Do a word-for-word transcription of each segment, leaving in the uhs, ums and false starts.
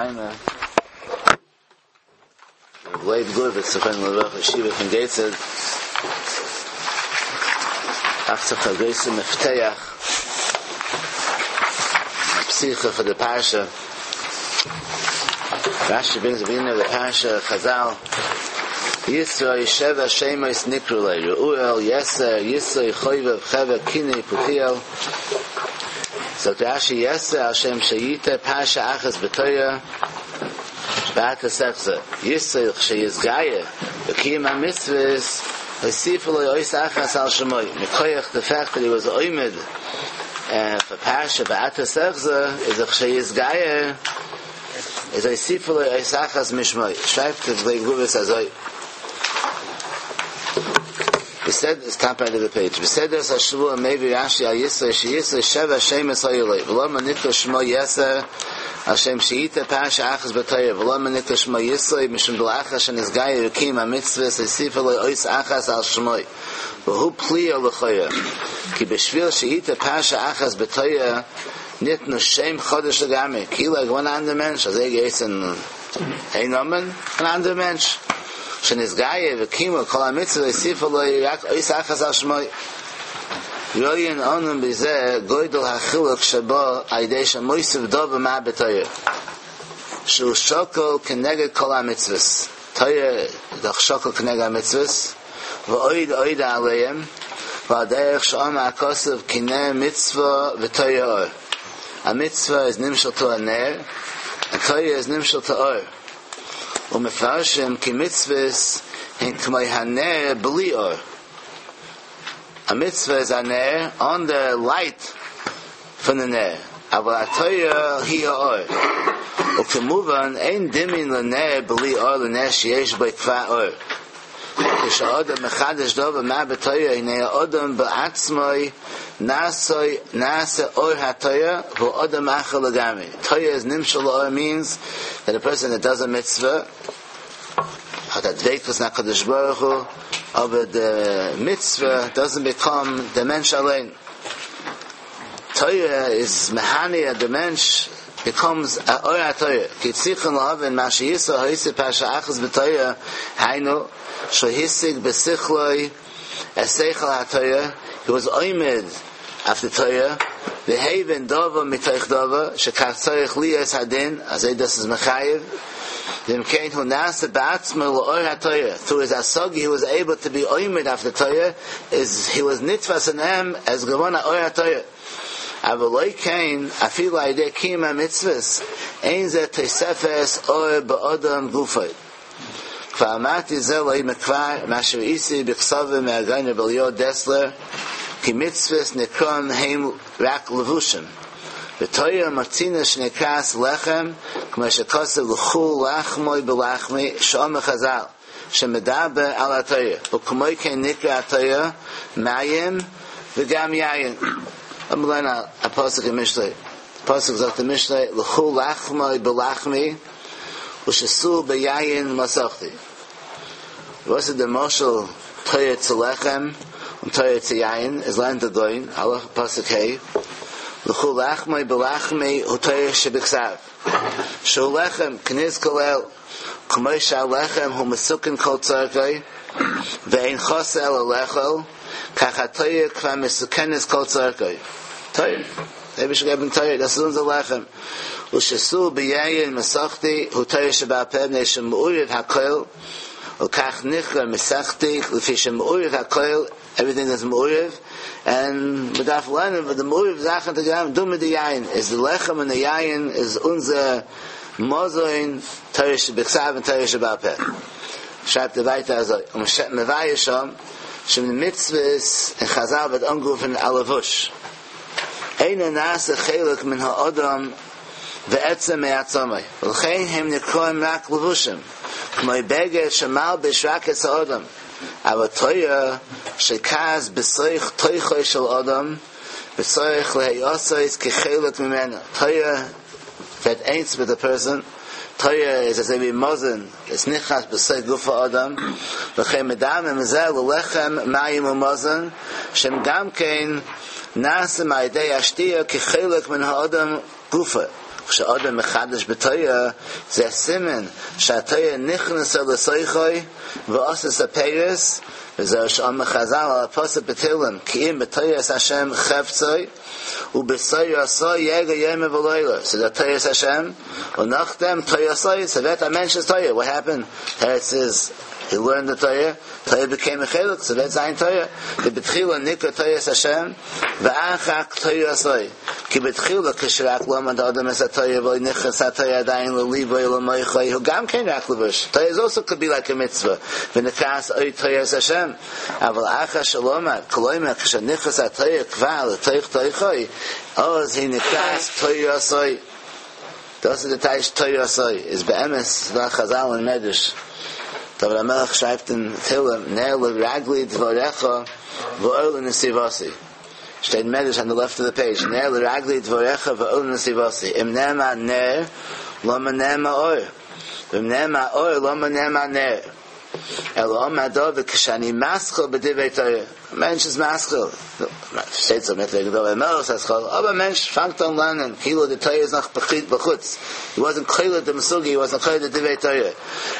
Maimer. Leib Gurvitz, Zechon Leroch Yeshiva von Gateshead. Achtzach HaGoyse Mefteach. Psicha for the Parsha. Rashi brings the beginning of the Parsha, Chazal. Yisro Yesheva Shemos Nikrule, Reuel, Yeser, Yisro, Choyvev, Cheve, Kine, Putiel. So Rashi Yeser, Hashem Sheyita, Parsha Achas B'Toya, B'Ata Sechza. Yisro Sheyizgaya, B'Kiyim HaMitzvahs, Hosifu Lo Ois Achas Al Shemoy. Mikoyach, the fact that he was Oimed, uh, for Parsha B'Ata Sechza, is a Sheyizgaya, is Hosifu Lo Ois Achas Mishmoy. Schreibt the Leib Gurvitz Azoi. We said it's top end of the page. We said there's a shvu maybe Rashi al Yisro she Yisro Sheva Shemes Hayolei V'lo Manikra Shmo Yeser Hashem Sheita Pasha Achas B'Torah V'lo Manikra Shmo Yisro Mishum B'Lachas and His Gaya Rekim HaMitzvah Seisifa Lo Ois Achas Al Shmoi V'hu Pliya L'Choya Ki B'Shvil Sheita Pasha Achas B'Torah Nitnu Shem Chodesh L'Gami Ki like one andere Mensch Also er geht in ein Nomen ein anderer Mensch שנזגאיה וקימו כל המצווה הוסיפו לו רק אויס אחס על שמוי רוין אונן בזה גוידל החילוק שבו על ידי שמויסף דובר מה בתויר שהוא שוקל כנגד כל המצווה תויר דך שוקל כנגד המצווה ואויד אויד עליהם ועל דרך שאומר הכוסף קנה מצווה ותויר אור המצווה is נמשל to a ner and Torah is nimshal to or ומפרשם כי מצווס הן כמו הנר בלי אור. A mitzvah is a ner on the light from the ner. אבל התויר היא האור. וכמובן אין דמין לנר בלי אור לנר שיש בו כבר אור. כשהאדם מחדש דבר מה בתויר, הנה האדם בעצמו נעשה, נעשה אור התויר, והוא אדם אחר לגמרי. Torah is nimshal or means that a person that does a mitzvah, hat a dveikus na Kadosh Baruch Hu, aber the mitzvah doesn't become the mensch allein. Torah is mehania, the mensch becomes a or HaTorah. Ki tzichon lahavin ma sheyisa ha'isi pasha achaz b'Torah, hainu, shehisig b'sichloi, eseichel HaTorah, he was oimed after Torah, v'heven dova mitoich dova, shekach tzorich liyas hadin, azay das is mechayev, v'imkein hu nasa ba'atzmo l'or HaTorah. Through his asogi, he was able to be oimed after Torah, is, he was nitvas in him as gavona or HaTorah. אבל לא כן, אפילו על ידי קיום המצווס, אין זה תוספס אור באדם גופי. כבר אמרתי זה לא מכבר, מה שראיתי בכסובה מהגן רב אליהו דסלר, כי מצווס נקרון הם רק לבושים. ותויר מצינה שנקרס לחם, כמו שכוסף לכו לחמוי בלחמי, שעומר חז"ל, שמדבר על התויר. וכמו כן נקרא התויר, מים וגם יין. I'm learn a, a pasuk in Mishlei. Pasuk sagt in Mishlei, L'chu lachmoi b'lachmi, u'shesu b'yayin masachti. Was ist der Moshel Torah zu lechem und Torah zu yayin, is learned the goin, halach pasuk hey, L'chu lachmoi b'lachmi hu Torah shebiksav. Shu lechem kniz kolel, k'moy sha'lechem hu mesukin kol tzarkoi, ve'ein chose el lechel, kach ha'Torah kvar mesukenes kol tzarkoi. Torah. Maybe should have been Torah. Das ist unser Lechem. Ushesu b'yayin masachti hu Torah sheba'al peh b'nei shemu'uriv hakoil ukach nichra masachti l'fi shemu'uriv hakoil everything is mu'uriv and medaf learning but the mu'uriv zachen tegam du mit the yayin is the lechem and the yayin is unser mozoin Torah shebiksav and Torah sheba'al peh. Schreibt er weiter also um mevayeh shom shem mitzvahs in Chazal wird angerufen alavush. אין נעשה חלק מן האדם ועצם מעצמי. ולכן הם נקראים רק לבושים. כמו בגד שמלבש רק את האדם. אבל תויה שכז בסויך תויכו של אדם, בסויך להיוסויס כחלק ממנו. תויה that ain't with the person. Torah is as a mozen, it's nichas b'sei gufa adam, v'chem medam emzel lechem mayim u'mozen, shem gam kein nasa ma'idei ashtia kichelek min ha'adam gufa. כשאדם מחדש בתורה, זה סימן שהתורה נכנסה לתוכו ועשתה פירות, וזהו שאמר חז"ל על הפסוק בתהילים, כי אם בתורת השם חפצו, ובתורתו יהגה יומם ולילה. So the תורת השם, und nachdem תורתו, so that a mentions Torah. What happened? Torah says, he learned the Torah, Torah became a chelik, so that's zayin Torah. The betchila nikra תורת השם, ואחר תורתו. כי בתחילה כשרק למד אדם את התורה ולא נכנס התורה עדיין לליבו ולמוחו, הוא גם כן רק לבוש. Torah is also could be like a mitzvah. ונקראת אור תורת השם. אבל אחר שלמד, כלומר כשנכנס התורה כבר לתוך תוכו, אז היא נקראת תורתו. דאס איז די טייטש תורתו, איז באמת דא חז"ל אין מדרש. דוד המלך שרייבט אין תהילים, נר לרגלי דבריך ואור לנתיבתי. שטייט אין מדרש on the left of the page. נר לרגלי דבריך ואור לנתיבתי. אם נאמר נר, למה נאמר אור? ואם נאמר אור, למה נאמר נר? אלא אמר דוד כשאני מתחיל בדברי תורה. א מענטש איז מתחיל. שטייט זוי מיט דוד המלך התחלה. אבער א מענטש פאנגט אן לערנען. כאילו די תורה איז נאך בחוץ. He wasn't קולט דעם סוגיא, he wasn't קולט די דברי תורה.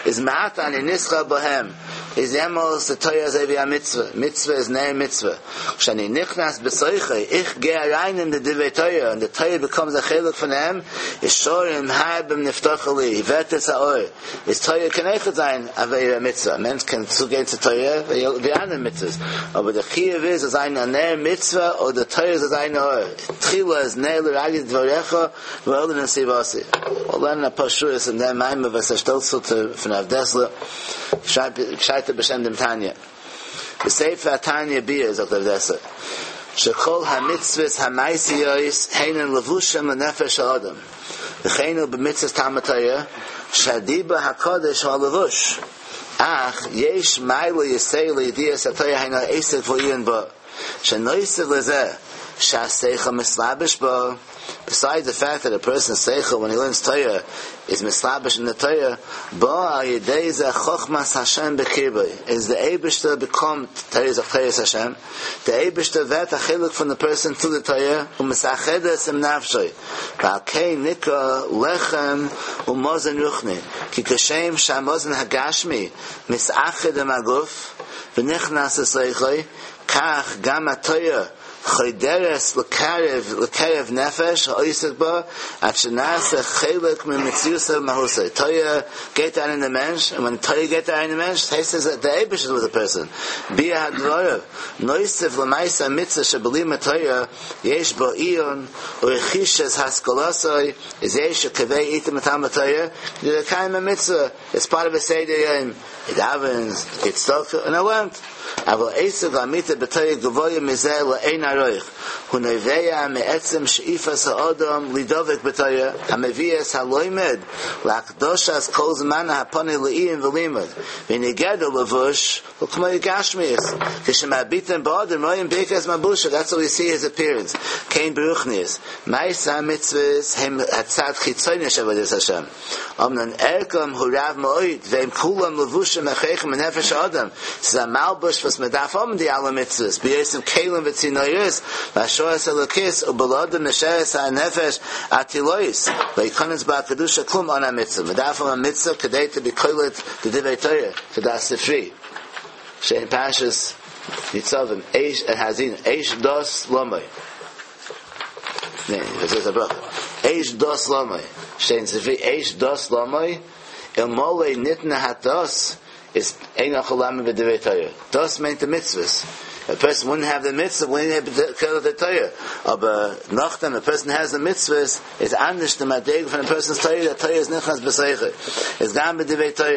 איז מעתה אני נתחל בהם. איז יעמאלס די תורה אזוי ווי א מצוה. מצוה איז נר מצוה. כשאני נכנס בתוכו, איך גיי אריין אין די דברי תורה, and the Torah becomes a חלק פון אים, איז שערים הרבים נפתחו לי, ווערט עס א אור. איז תורה קען אויכעט זיין א ווי א מצוה. א מענטש קען צוגיין צו תורה ווי אנדערע מצוות. אבער די חיוב איז זאל זיין א נר מצוה, אדער די תורה זאל זיין א אור. תחילה איז נר לרגלי דבריך ואור לנתיבתי. מיר לערנען א פאר שורות אין דעם מאמר וואס ער שטעלט צו פון הרב דעסלער, שרייבט ער בשם דעם תניא. בספר התניא ביאר זאגט הרב דעסלער שכל המצוות המעשיות הן לבושים לנפש האדם וכן הוא במצוות תלמוד תורה שהדיבור הקדוש הוא הלבוש אך יש מעלה יתירה לידיעת התורה היינו העסק והעיון בה שנוסף לזה שהשכל מתלבש בה Besides the fact that a person's שכל when he learns Torah is מתלבש in the Torah, בא על ידי זה חכמת השם בקרבו is the אייבערשטער become Torah is תורת השם, the אייבערשטער ווערט א חלק from the person to the Torah ומתאחדת עם נפשו, ועל כן נקרא לחם ומזון רוחני, כי כשם שהמזון הגשמי מתאחד עם הגוף ונכנס לתוכו, כך גם התורה חודרת לקרב לקרב נפש העוסק בה עד שנעשה חלק ממציאותו ומהותו. תורה גייט אריין אין די מענטש, and when תורה גייט אריין אין די מענטש, הייסט עס די אייבערשטער איז with the person. ביאור הדברים נוסף למעשה המצוה שבלימוד תורה יש בו עיון ורכישת השכלתו איז יש שקובע עתים לתלמוד תורה כדי לקיים המצוה. It's part of a סדר יום. He davens, he gets צדקה, and he learned. אבל עסק לאמיתה בתורה גבוה מזה לאין ערוך. הוא נובע מעצם שאיפת האדם לדבק בתורה, המביא את הלומד להקדשת כל זמן הפנוי לעיון ולימוד. והנה גדר לבוש הוא כמו גשמיות. כשמביטים באדם רואים ברכת מלבושו, that's what we see his appearance. כן ברוחניות. מעשה המצוות הם הצד חיצוני של עבודת השם. אמנם ערכם הוא רב מאוד, והם כולם לבושים הכרחיים לנפש האדם. ס'איז א מלבוש וואס מען דארף האבן די אלע מצוות, בהיותם כלים וצינורות, להשראת אלוקית, ובלעדם נשארת הנפש ערטילאית, לא יכנס בה הקדושה כלום אן המצוה. מען דארף האבן א מצוה כדי to be קולט די דברי תורה, to דעת ספרי. שטייט אין פרשת ניצבים, אש האזינו, אש דת למו. ניין, וואס איז א ברכה? אש דת למו. שטייט אין ספרי, אש דת למו, אלמלא ניתנה הדת, איז אין יכול לעמוד בדברי תורה. דת מיינט די מצוות. A person wouldn't have the mitzvah, wouldn't have the, the Torah. אבער נאכדעם, a person has the mitzvahs, איז אנדערש די מדריגה פון a person's Torah, the Torah איז נכנס בתוכו. איז גם בדברי תורה.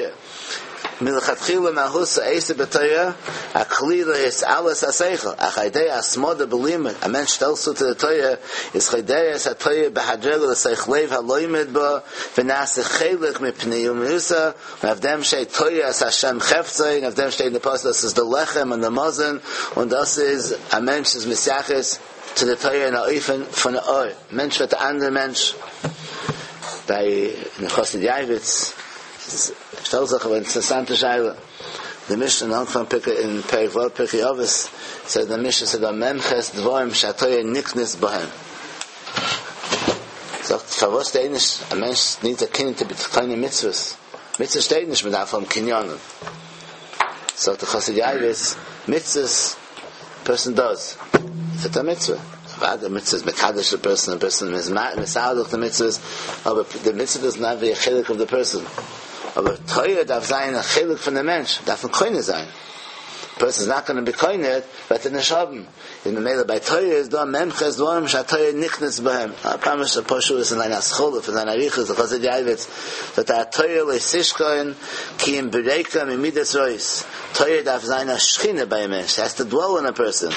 מלכתחילה מהות העסק בתורה, הכלי להתעלות השכל. אך על ידי התמדה בלימוד, א מענטש שטעלט צו צו די תורה, איז חודרת התורה בהדרגה לתוך לב הלומד בה, ונעשה חלק מפנימיותו, און אויף דעם שטייט תורת השם חפצו, און אויף דעם שטייט אין די פסוק דאס איז די לחם און די מזון, און דאס איז א מענטש איז מתייחס צו די תורה אין א אופן פון אור, מענטש ווערט א אנדערע מענטש. ביי דעם חסיד יעבץ שטעלט זיך אן אינטערעסאנטע שאלה, די משנה אין אנפאנג פרק אין פרק ו' פרקי אבות זאגט די משנה ס'איז דא מ"ח דברים שהתורה נקנית בהם, Sagt, פארוואס שטייט נישט, א מענטש needs a קנין to be קונה מצוות. מצוות שטייט נישט, מען דארף האבן קנינים. זאגט דער חסיד יעב"ץ, מצוות, person does. It's a mitzvah. The mitzvah is מקדש the person, the person is מסדר the mitzvahs, but the mitzvah does not be a חלק of the person. אבער תורה דארף זיין א חלק פון דעם מענטש, דארף מען קונה זיין. Person is not going to be קונה, וועט ער נישט האבן. אין ממילא ביי תורה איז דא מ"ח דברים שהתורה נקנית בהם. א פאמש א פשוט אין זיין התחלה פון זיין אריכות דער חסיד יעב"ץ that התורה לא תשכון כי אם בריקם ממידות רעות. תורה דארף זיין א שכינה ביי א מענטש. It has to dwell in a person.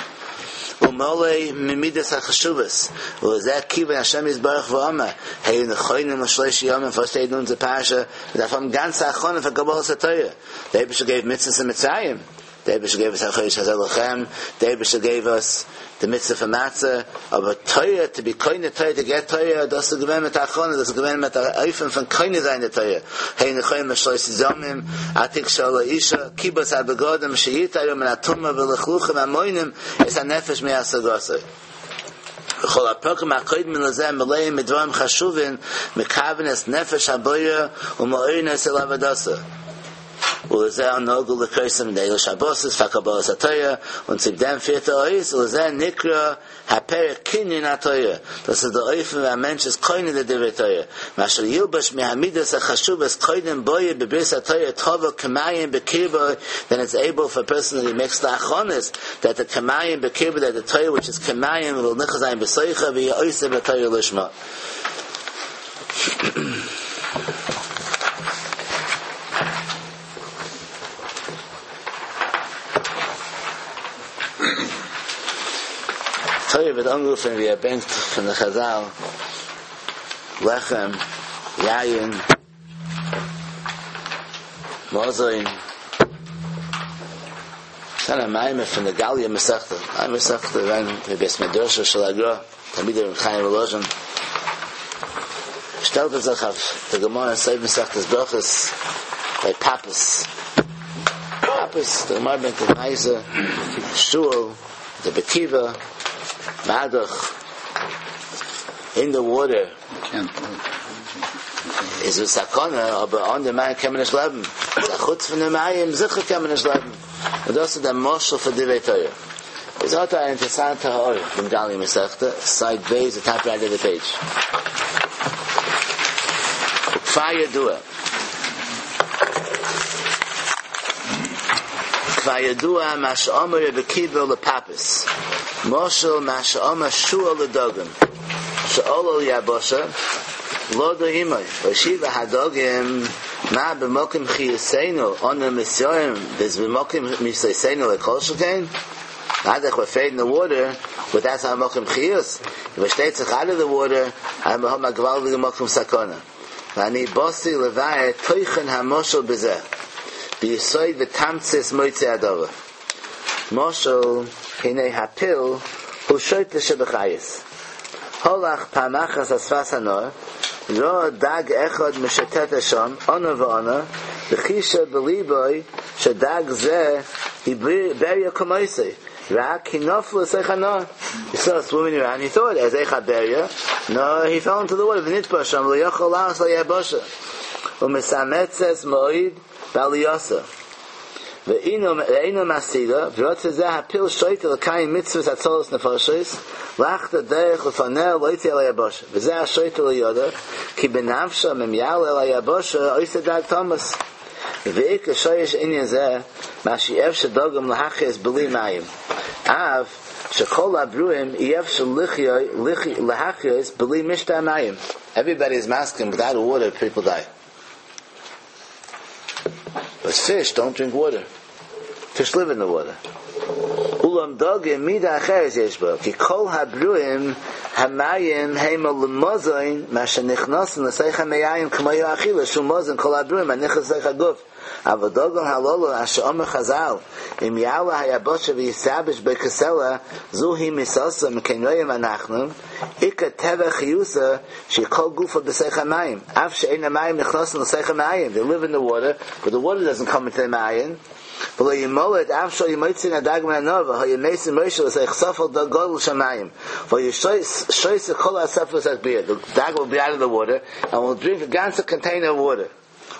ומלא ממידות החשובות. ולזה כיוון השם יתברך ואמר, היו נכונים לשלושה ימים, וואס שטייט אין אונזער פרשה, מ'דארף האבן גאנצע הכנה פאר קבלת התורה. דער אייבערשטער gave מצוות אין מצרים. דער אייבערשטער gave us החודש הזה לכם. דער אייבערשטער gave us the mitzvah for matzah. אבער תורה, to be קונה תורה, to get תורה, דאס איז געווען מיט הכנה, דאס איז געווען מיט אן אופן פון קונה זיין די תורה. היו נכונים לשלושה ימים, אל תגשו אל האשה, כיבוס הבגדים, שיטהרו מן הטומאה ולכלוכים המונעים, את הנפש מהשגתו. וכל הפרקים הקודמים לזה מלאים מדברים חשובים, מכוון את נפש הבורא ומעורין אותו לעבודתו. ולזה נהגו לקרוסם ליל שבתות פאר קבלת התורה, און צו דעם פירט ער אויס, ולזה נקרא הפרק קנין התורה. דאס איז דער אופן ווי א מענטש איז קונה די דברי תורה. מה שילבש מהמידות החשובות קודם בואו בברית התורה טבע כמים בקרבו, then it's able for a person that he makes the הכנות, that the כמים בקרבו, that the Torah which is כמים will נכנס זיין בתוכו ויהיה עוסק בתורה לשמה. תורה ווערט אנגערופן ווי ער ברענגט פון די חזל, לחם, יין, מזון. ס'איז א מאמר פון די גליא מסכתא, גליא מסכתא געווען מבית מדרשו של הגרא, תלמידי רבי חיים וואלאזשין, שטעלט ער זיך אויף די גמרא אין סוף מסכת ברכות ביי פפוס, פפוס, די גמרא ברענגט די מעשה, שועל, רבי עקיבא, מה דאך, אין די water איז א סכנה, אבער אן די מים קען מען נישט לעבן, חוץ פון די מים זיכער קען מען נישט לעבן, און דאס איז דער משל פאר דברי תורה. איז האט א אינטערעסאנטע הערה דעם גליא מסכתא, side ב', the top right of the page. וכבר ידוע. כבר ידוע מה שאמר רבי עקיבא לפפוס, משל מה שאמר שועל לדגים, שעלה ליבשה, לדור עמו, והשיבו הדגים, מה במקום חיותנו, אנו מתייראים, במקום מיתתנו לא כל שכן? Not that we're afraid in the water, but that's our מקום חיות. If it states out of the water, I'm a גוואלדיגע מקום סכנה. ואני באתי לבאר תוכן המשל בזה. ביסוד ותמצית מוצא הדבר. משל הנה הפיל הוא שוטה שבחיות. הלך פעם אחת על שפת הנהר, ראה דג אחד משוטט שם, אנה ואנה, וחישב בליבו שדג זה היא בריה כמותו. רק כי נפל לתוך הנהר. He saw swimming around, he thought, as איכה בריה. No, he fell into the water. ונטבע שם, ולא יכול לעלות ליבשה. ומתאמצת מאוד בעלייתה. ואינו משיגה, ורוצה זה הפיל שוטה לקיים מצוות הצלת נפשות, לחטא דרך לפניה לא יצא אל היבשה. וזה השוטה לא ידע, כי בנפשם אם יעלה אל היבשה, עושה דג תמות. ועיקר שורש עניין זה, מה שאי אפשר דגים להחיות בלי מים. אף שכל הברואים אי אפשר להחיות בלי משתה המים. Everybody is מסכים, without water people die. But fish don't drink water. Fish live in the water. אולם דגים מידה אחרת יש בו, כי כל הברואים המים הם למזון מה שנכנסים לתוך המעיים כמו האכילה, שהוא מזון כל הברואים הנכנס לתוך הגוף. אבל דגים הללו אשר אמרו חז"ל, אם יעלה היבשה ויתייבש בו כסלע, זו היא מיתתו מכן רואים אנחנו, עיקר טבע חיותו שכל גופו בתוך המים, אף שאין המים נכנסים לתוך המעיים. They live in the water, but the water doesn't come into the מעיין. ולא ימלט אף שהיו מוציאין הדג מן הנהר והיה משים ראשו לתוך ספל דג גדול של מים והיה שותה כל הספל לתוך פיה. The dog will be out of the water and will drink a ganze container of water.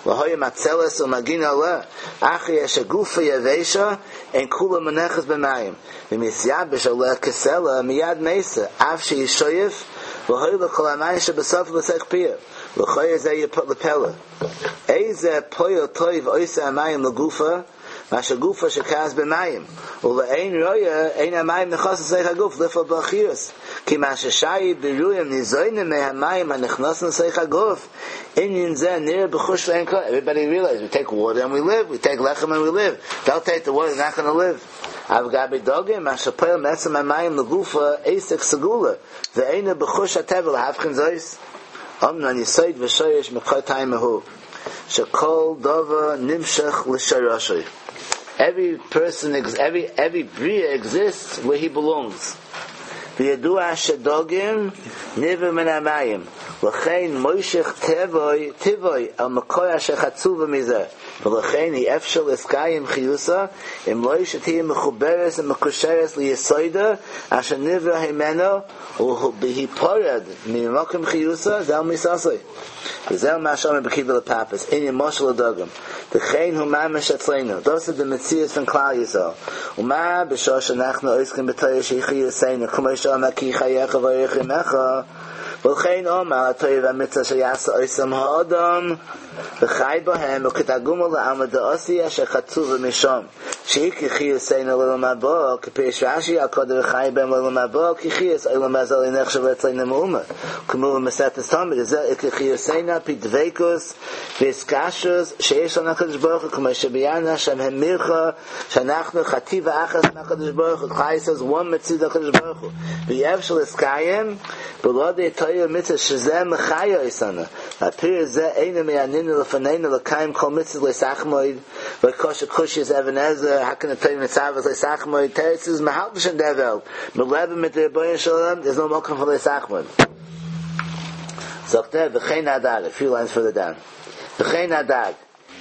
והיה מצלת ומגין עליה אחרי שגופה יבשה אין כולה מונחת במים ומתייבש עליה כסלע מיד מתה אף שהיא שואף והוליך כל המים שבספל לתוך פיה ולכאורה זה לפלא איזה פועל טוב עושה המים לגופה מה שגופה שכעס במים ולאין רואה אין המים נכנס לתוך הגוף לפעול בו חיות כי מה ששי ברויים ניזונים מהמים הנכנסים לתוך הגוף עניין זה נראה בחוש לעין כל. Everybody realizes we take water and we live, we take lechem and we live. They'll take the water, they're not going to live. אבל גבי דוגים מה שפועל מעצם המים לגופה עסק סגולה ואינו בחוש הטבע להבחין זאת אמנם יסוד ושורש מקור טעמא שכל דבר נמשך לשורשו. Every person, every every bria exists where he belongs. וידוע שדוגים נברא מן המים לכן מושך טבעו טבעו על מקור אשר חצוב מזה ולכן אי אפשר להתקיים חיותה אם לא שתהיה מחוברת ומקושרת ליסודה אשר נברא הימנו ובהיפרד ממקום חיותה זהו מיתתו וזהו מה שאומר רבי עקיבא לפפוס עניין משל לדגים וכן הוא ממש אצלנו דאס איז די מציאות פון כלל ישראל ומה בשעה שאנחנו עוסקים בתורה שהיא חיותנו כמו שאמר כי חייך ואורך ימיך ולכן אומר התורה והמצווה שיעשה אותם האדם וחי בהם וכתרגומו לעלמא דאתי אשר חצובה משם שעיקר חיותנו לעולם הבא כפירוש רש"י על כל דחי בהם לעולם הבא כי חיות עולם הזה לא נחשב אצלנו מאומה כמו במסכת תמיד זה עיקר חיותנו על פי דבקות והתקשרות שיש לנו הקדוש ברוך הוא כמו שביארנו שם המירך שאנחנו חטיבה אחת מהקדוש ברוך הוא כלל ישראל is one מציאות הקדוש ברוך הוא ואי אפשר להתקיים בלא די תורה ומצווה שזה מחיה אותנו והפירוש זה אינו מהנמנה לפנינו לקיים כל מצווה לא תחמוד וקשה קושיית אבן עזרא how can the Torah mitzvah לא תחמוד תירוץ איז מ'האלט נישט אין דער וועלט מ'לעבט מיט דער רבונו של עולם there's no מקום for לא תחמוד זאגט ער וכן הדג a few lines further down וכן הדג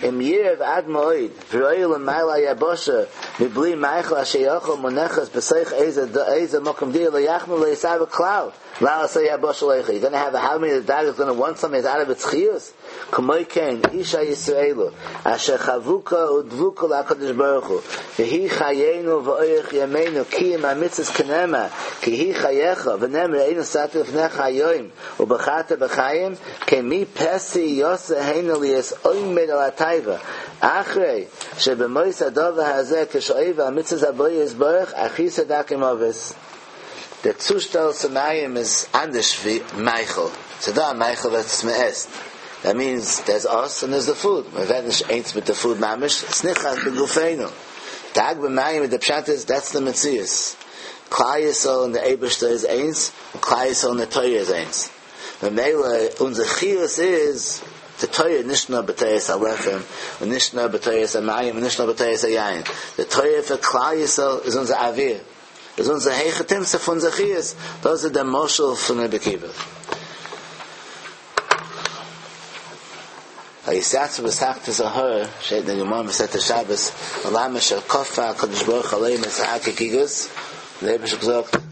אם ירעב עד מאוד ורואה למעלה היבשה מבלי מאכל אשר יאכל מונחת בתוך איזה איזה מקום דיה לא יחמוד ולא יתאוה כלל לעלות היבשה לאכול. You're going to have a how many the dog is going to want something that's out of its chiyus. כמו כן אישה ישראלו אשר חבוקה ודבוקה לקדוש ברוך הוא והיא חיינו ואורך ימינו כי אם המצוות כנאמר כי היא חייך ונאמר ראינו נתתי לפניך היום ובחרת בחיים כי מי פתי יעשה הנה להיות עומד על התאווה אחרי שבמות הדבר הזה כשעובר על מצוות הבורא יתברך אחרית הדרכו מוות. דער צושטעל צו מים איז אנדערש ווי מאכל. ס'דא א מאכל וואס מ'עסט. That means there's us and there's the food. מ'ווערט נישט איינס מיט the food ממש. It's נכנס בגופנו. דג במים the פשט איז that's the מציאות. כלל ישראל און דער אייבערשטער איז איינס, און כלל ישראל און די תורה איז איינס. ממילא אונזער חיות איז the Torah נישט נאר בתורת הלחם, און נישט נאר בתורת המים, און נישט נאר בתורת היין. The Torah for כלל ישראל איז אונזער אוויר. איז אונזער היכי תמצא פון אונזער חיות. דאס איז דער משל פון רבי עקיבא. ויתיצבו בתחתית ההר, שטייט אין גמרא מסכת שבת, מלמד שכפה הקדוש ברוך הוא עליהם את הר כגיגית, דער אייבערשטער האט געזאגט,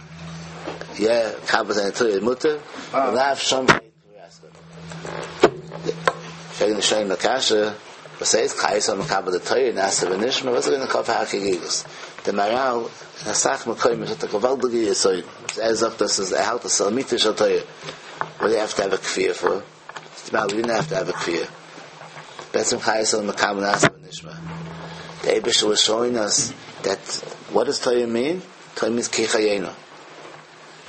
יא, מקבל זיין תורה איז מותר, ולאו שם פרעגן די ראשונים א קשיא, וואס הייסט כלל ישראל מקבל די תורה נעשה ונשמע, וואס איז געווען כפה הר כגיגית? דער מהר"ל אין אסאך מקומות האט א געוואלדיגע יסוד, ער זאגט דאס איז ער האלט עס איז אמיתה של תורה, what do you have to have a כפייה for? סתם we didn't have to have a כפייה. בעצם כלל ישראל מקבל נעשה ונשמע. The אייבערשטער was showing us that what does Torah mean? Torah means כי חיינו.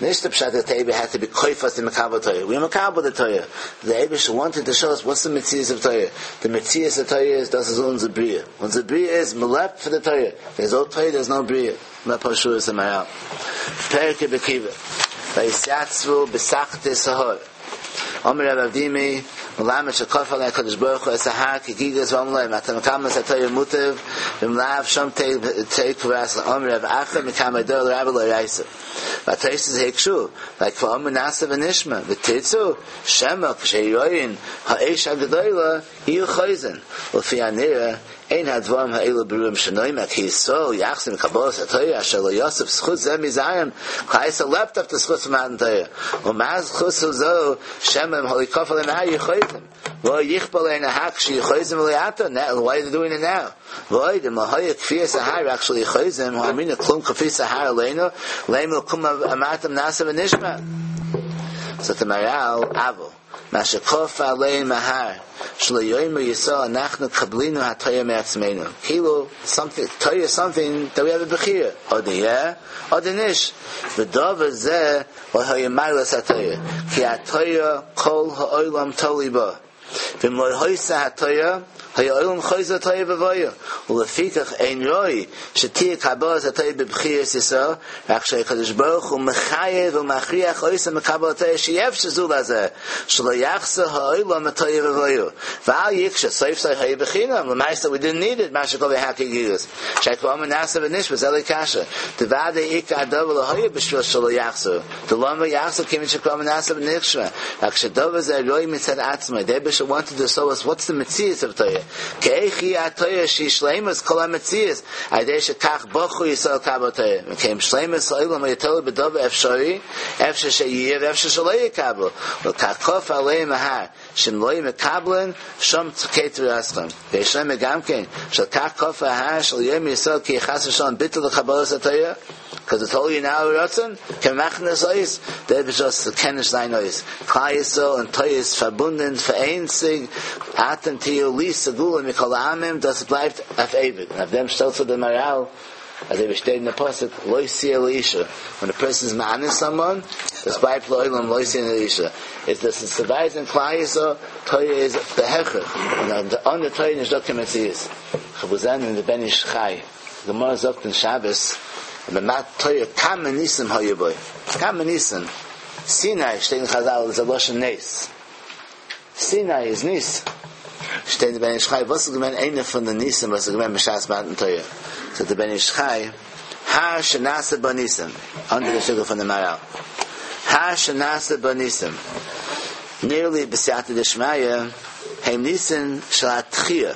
נישט די פשט that the Eiber had to be koifas in מקבל Torah. We מקבל the Torah. The אייבערשטער wanted to show us what's the מציאות of Torah. The מציאות of Torah is דאס איז אונזער בריאה. אונזער בריאה איז מ'לעבט for the Torah. There's no Torah, there's no בריאה. מה פשוט איז מהר"ל. פרק רבי עקיבא. ויתיצבו בתחתית ההר. אמר רב אבדימי, מלמד שכפה עליהם הקדוש ברוך הוא את ההר כגיגית ואמר להם אתם מקבלים את התורה מוטב ואם לאו שם תהא קבורתכם אמר רב אחא מקמי דרבה לאורייתא והתוספות הקשו והכבר אמרו נעשה ונשמע ותרצו שמא כשירואון האש הגדולה יהיו חוזרין ולפי הנראה אין הדברים האלו ברורים שנאמר כי ישראל יחזור מקבלת התורה אשר לא יסף זכות זה מזרעם כלל ישראל לעבט אויף די זכות פון מתן תורה ומה זכות זו שמא אם הלא כפה עליהם ההר יהיו חוזרין ולא יכפה עליהן ההר כשיהיו חוזרין ולא עתה why are they doing it now ועוד אם לא היה כפיית ההר רק שלא יהיו חוזרין הא אמרינן כלום כפית ההר עלינו לימא לקום אמרתם נעשה ונשמע זאגט דער מהר"ל אבל מה שכפה עליהם ההר שלא יאמרו ישראל אנחנו קבלינו התורה מעצמנו כאילו something תורה is something that we have a בחירה אדער יא אדער נישט ודבר זה לא היה מעלת התורה כי התורה כל העולם תלוי בה ואם לא היתה התורה היה העולם חוזר לתוהו ובוהו ולפיכך אין ראוי שתהיה קבלת התורה בבחירת ישראל רק שהקדוש ברוך הוא מחייב ומכריח אותם לקבל התורה שאי אפשר זולת זה שלא יחזור העולם לתוהו ובוהו ואל יקשה סוף סוף היה בחינם למעשה we didn't need it מה שכפה ההר כגיגית שכבר אמרו נעשה ונשמע זה לא קשיא דודאי עיקר הדבר לא היה בשביל שלא יחזור דלמה יחזור כיוון שכבר אמרו נעשה ונשמע רק שדבר זה ראוי מצד עצמו the Eibush wanted to show us what's the מציאות of Torah כי איך היא התורה שהיא שלימות כל המציאות על ידי שכך בחרו ישראל לקבל תורה וכן שלימות העולם היה תלוי בדבר אפשרי אפשר שיהיה ואפשר שלא יקבלו ולכך כפה עליהם ההר שאם לא יהיו מקבלין שם תהא קבורתכם ויש לומר גם כן שלכך כפה ההר שלא יאמרו ישראל כי חס ושלום ביטול לקבלת התורה because it's totally now רצון כמכנס אויס דער אייבערשטער קען נישט זיין אויס כלל ישראל און תורה איז פארבונדן פאראיינציג אתם תהיו לי סגולה מכל העמים דאס בלייבט אויף אייביג און אויף דעם שטעלט זיך דער מהר"ל אזוי ווי שטייט אין דער פסוק לא תהיה לאשה when a person is מאנס someone דאס בלייבט לעולם לא תהיה לאשה איז דאס איז צו ווייזן כלל ישראל תורה איז בהכרח און אן די תורה נישט דא קיין מציאות כ'האב געזען אין די בן איש חי גמרא זאגט אין שבת במתן תורה כמה ניסים היו בו כמה ניסים סיני שטייט אין חזל איז א לשון נס סיני איז נס שטייט אין בן איש חי וואס איז געווען איינע פון די ניסים וואס איז געווען בשעת מתן תורה זאגט דער בן איש חי הר שנעשה בו ניסים אנדערע שטיקל פון דעם מהר"ל הר שנעשה בו ניסים נראה לי בסייעתא דשמיא הם ניסים של התחייה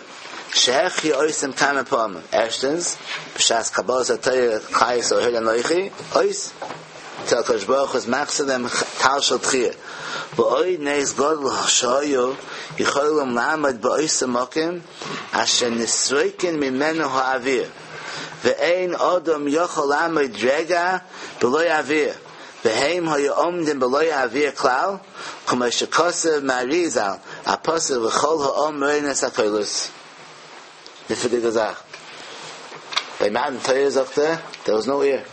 שהחיה אותם כמה פעמים ערשטנס בשעת קבלת התורה כלל ישראל העוד אנכי אויס till הקדוש ברוך הוא איז מחזיר דעם טל של תחייה ועוד נס גדול שהיו יכולים לעמוד באותו מקום אשר נסרקן ממנו האוויר ואין אדם יכול לעמוד רגע בלא אוויר והם היו עומדים בלא אוויר כלל כמו שכתב מהר"י ז"ל הפסוק וכל העם רואין את הקולות נפלא'דיגע זאך ביי מתן תורה זאגט ער there was no air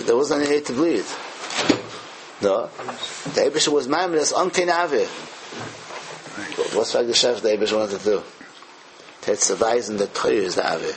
there wasn't any air to breathe no the Eibush was מעמיד עס אן קיין אוויר וואס פאר א געשעפט the Eibush wanted to do צו ווייזן די תורה איז די אוויר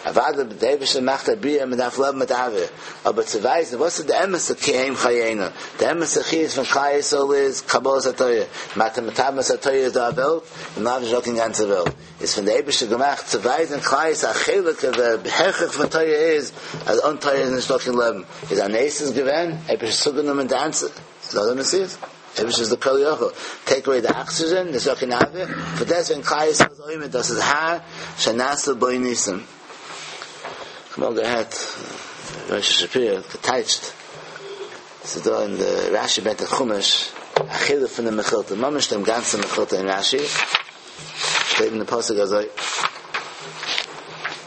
אוודאי דער אייבערשטער מאכט א בריאה מען דארף לעבן מיט אוויר, אבער צו ווייזן וואס איז די אמת'ע כי הם חיינו, די אמת'ע חיות פון כלל ישראל איז קבלת התורה, אם אתם מקבלים את התורה איז דא א וועלט, און לאו נישט דא קיין גאנצע וועלט, איז פון די אייבערשטער געמאכט צו ווייזן כלל ישראל א חלק אוו די הכרח פון תורה איז אז אן תורה איז נישט דא קיין לעבן, איז א נס איז געווען, אייבערשטער צוגענומען די גאנצע, ס'איז דא די מציאות. אייבערשטער איז די כל יכול, טעיק אוועי די אקסידזשען, נישט דא קיין אוויר, פאר דעסוועגן כלל ישראל איז עומד, דאס איז הר שנעשו בו ניסים. כ'האב אמאל געהערט ר' שפירא האט געטייטשט, ס'איז דא אין די רשי ברענגט אין חומש א חלק פון די מכילתא, ממש דעם גאנצן מכילתא אין רשי, שטייט אין די פסוק אזוי,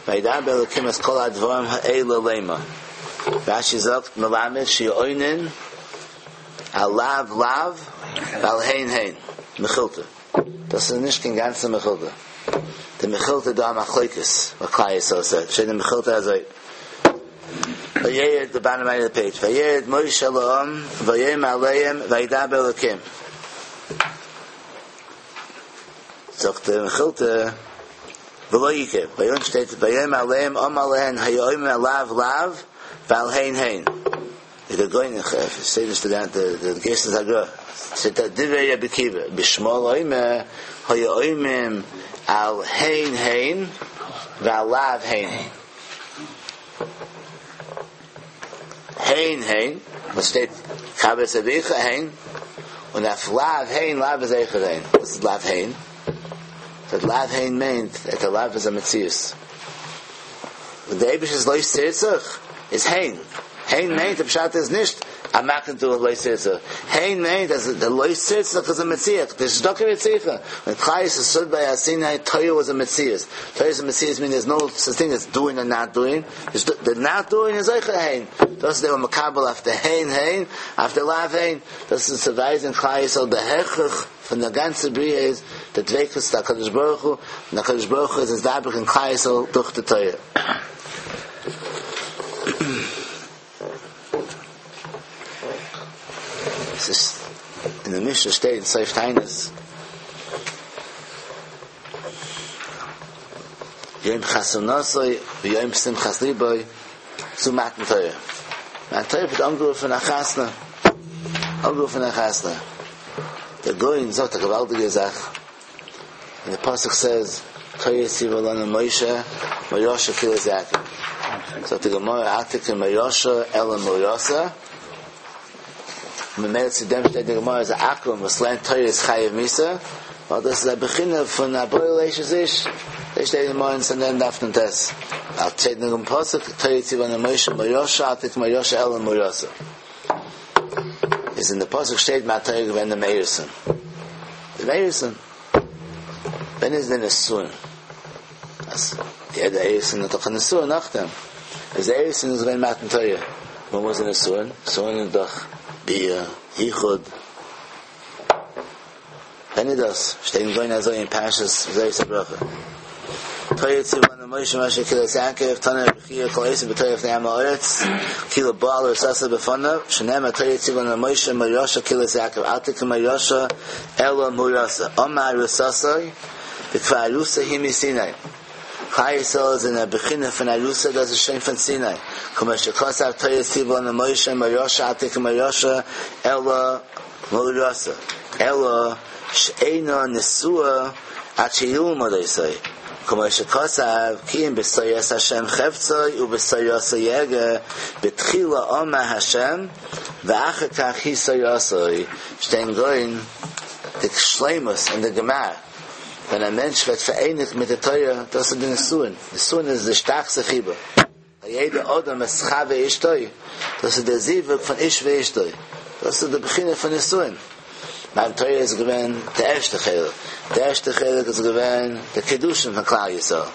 וידבר אלקים את כל הדברים האלה לאמר, רשי זאגט מלמד שיהו עונין על לאו לאו ועל הן הן מכילתא. דאס איז נישט קיין גאנצע מכילתא. די מכילתא דא א מחלוקת וואט כלל ישראל סעד. שטייט אין מכילתא אזוי. וירד די באטאם רייט אוו די פעידזש. וירד משה אל העם ויאמר אליהם וידבר אלקים. זאגט די מכילתא ולא עיקר. ביי אונז שטייט ויאמר אליהם אמר להן היו עונים על לאו לאו ועל הן הן. Der Goin, steht nicht der der Geist ist Agra. Steht da Divrei Rabbi Akiva. Bishmol Oime, Hoya Oimim, al Hein Hein, Val Lav Hein Hein. Hein Hein, was steht Chabes Avicha Hein, und auf Lav Hein, Lav is Eichel Hein. Was ist Lav Hein? That Lav Hein meant that the Lav is a Metzius. When the Eibush is Lois Tzirtzach, is Hein. Hein meint, the Pshat is nicht, I'm not going to do a Lois Tzirtzach. Hein meint, as the Lois Tzirtzach is a Metziach. There's Docker Metziach. When Chayis is stood by Asinai, Toya was a Metzias. Toya is a Metzias means there's no such thing as doing and not doing. There's the not doing is Eichel Hein. Thus they were makabel after Hein Hein, after Lav Hein. Das ist zu weisen Chayis al the Hechach von der ganzen Bria is the Dveikus da Kadosh Baruch Hu, und der Kadosh Baruch Hu is es Dabrik in Chayis al durch die Toya. Es ist in der Mishnah steht in Seif Tainus Yom Chasunasoi Yom Simchas Liboi zu Matan Torah. Matan Torah wird angerufen nach Chasna. Angerufen nach Chasna. Der Goin sagt eine gewaltige Sache. And the Pasuk says, Torah tziva lanu Moshe, Moyosha kilas Yaakov. So the Gemara Atik and Moyosha Ela Moyosa. Memel zu dem steht die Gemara is a Akrum, was lernt Torah is Chayev Misa. Weil das ist ein Beginn von Aboy Leishes Ish. Da steht in Morgen in den Daf und Tes. Al steht in dem Pasuk, Torah tziva lanu Moshe, Moyosha, Atik Moyosha Ela Moyosa. Is in the Pasuk steht Ma Torah wenn der Meirson. Der Meirson. Wenn ist denn es Sohn? Das, der der Eirson hat doch eine Sohn nach dem. Also der Eirson ist wenn Matan Torah. Wo muss denn Sohn? Sohn ist doch Bia, Yichud. Wenn ihr das, stehen goin also in Parshas Zeis Bracha. Torah tziva lanu Moshe Moshe kilas Yaakov Tana Bechia Kol Esav b'Torah fnei Am Haaretz Kilo Baal Sasa b'Fanav Shenema Torah tziva lanu Moshe Moyosha kilas Yaakov Atik Moyosha Ela Murasa Omar Rusasai B'Kvar Arusa Himi Sinai. Chai Yisrael is in a bechina von Arusa, das ist schön von Sinai. Kuma shekosav Torah tziva lanu Moshe Moyosha Atik Moyosha Ela Murasa Ela She'ena Nesua Ad Sheyilmod Isai. Kuma shekosav Ki im b'soyas Hashem cheftzoi u b'soyas yege b'tchila Omar Hashem v'achar kach hi soyasoi. Stein goin the Shleimus and the Gemara. Wenn ein Mensch wird vereinigt mit der Torah, das ist der Nesuin. Nesuin ist der stärkste Chiba. Jeder Odom ist Chave Ishtoi. Das ist der Sievuk von Ish ve Ishtoi. Das ist der Beginn von Nesuin. Mein Torah ist gewesen der erste Chelik. Der erste Chelik ist gewesen der Kedushin von Klal Yisrael.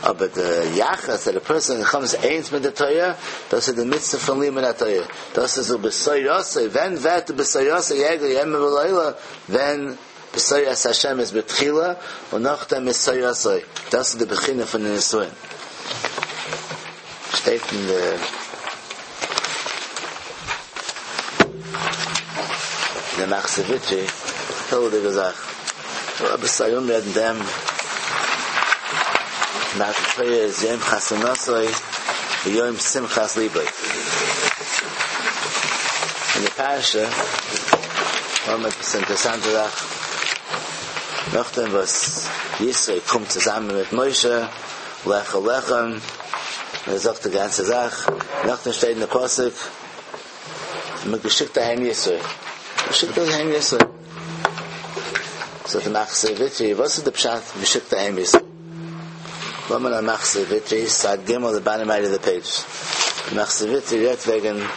Aber der Yachas, that a person comes eins mit der Torah, das ist der Mitzvah von Limud HaTorah. Das ist so B'soyosei. Wenn wird der B'soyosei Jäger Yem V'Loila, wenn B'soyos Hashem ist B'tchila, und nachdem ist Soyosei. Das ist der Beginn von den Nesuin. Steht in der in der Machzor Vitry, tolle Sache. Aber Sayum reden dem Nach Torah is Yom Chasunasoi Yom Simchas Liboi. In der Parasha, haben wir etwas interessante Sache. Nachdem, was Yisrael kommt zusammen mit Moshe, Lech Lechem, er sagt die ganze Sache. Nachdem steht in der Pasuk, man geschickt daheim Yisrael. Geschickt daheim Yisrael. So the Machzor Vitry, was ist der Pshat, geschickt daheim Yisrael? Woman on Machzor Vitry, side Gimel, the bottom right of the page. The Machzor Vitry redt wegen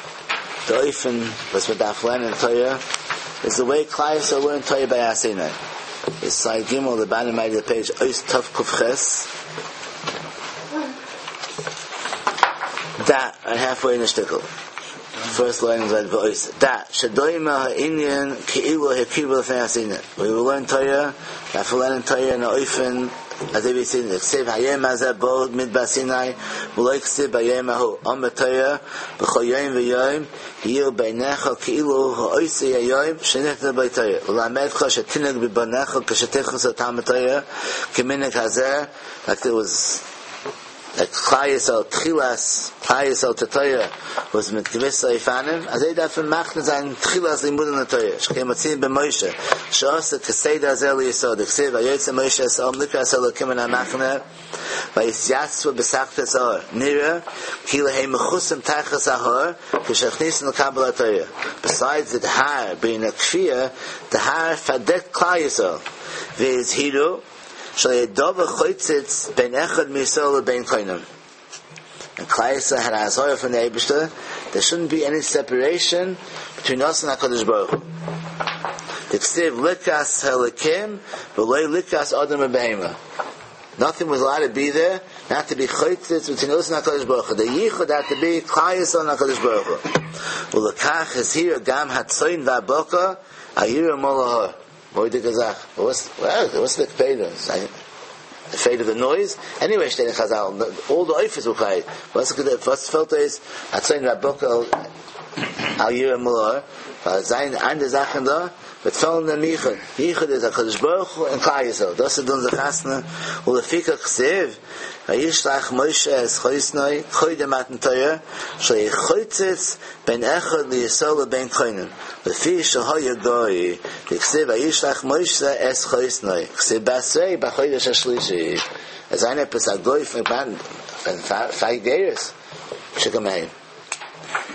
der Eufen, was wir darf lernen in Torah, is the way Klal Yisrael learned Torah by Asinai. It's side Gimel, the bottom right of the page, Ois Tov Kuf Ches. Da, and halfway in the shtickle. First line is like voice. Da, Shadoima ha'inyan ki'ilu hekibu l'fnei Asinai. We will learn Torah, we will learn Torah in the Eufen, as they say, Ksiv hayem hazeh bo midbar Sinai, v'lo ksiv bayem hahu. Om b'Torah, b'chol yom v'yom, yiyu beinecha ki'ilu ha'oisei hayom, shenechna b'Torah. U'lamedcha shetinag b'banecha k'shetechus atam b'Torah, k'minig hazeh, like it was כלל ישראל תחילת כלל ישראל צו תורה וואס מיט געוויסע אופנים אזוי דארף מען מקדים זיין תחילת לימודים לתורה שכן מצינו במשה שעשה כסדר הזה לישראל דכתיב ויצא משה את העם לקראת האלקים מן המחנה ויתייצבו בתחתית ההר נראה כאילו הם מכוסים תחת ההר כשנכנסים לקבל התורה besides the הר being a כפייה the הר פארדעקט כלל ישראל והזהירו שלא יהא דבר חוצץ בין אחד מישראל לבין קונם. And כלל ישראל had an אזהרה from the אייבערשטער, there shouldn't be any separation between us and הקדוש ברוך הוא. דכתיב לקראת האלקים ולא לקראת אדם ובהמה. Nothing was allowed to be there, not to be חוצץ between us and הקדוש ברוך הוא. The ייחוד had to be כלל ישראל and הקדוש ברוך הוא. ולכך הזהירו גם הצאן והבקר אל ירעו מול ההר. מורא'דיגע זאך. What's what's the קפידא? Afraid of the noise? Anyway, שטייט אין חז"ל, all the עופות were quiet. What's the וואס פעלט אויס? הצאן והבקר אל ירעו מול ההר. ווייל זיין אנדערע זאכן דא, וועט פעלן דעם ייחוד. ייחוד איז הקדוש ברוך הוא און כלל ישראל. דאס איז אונזער חתונה. ולפיכך כתיב וישלח משה את חותנו קודם מתן תורה שלא יהא חוצץ בין אחד לישראל לבין קונם לפי שהיה גוי דכתיב וישלח משה את חותנו כתיב בתריה בחודש השלישי אז איינער עפעס א גוי פון פאר גירות שכמהם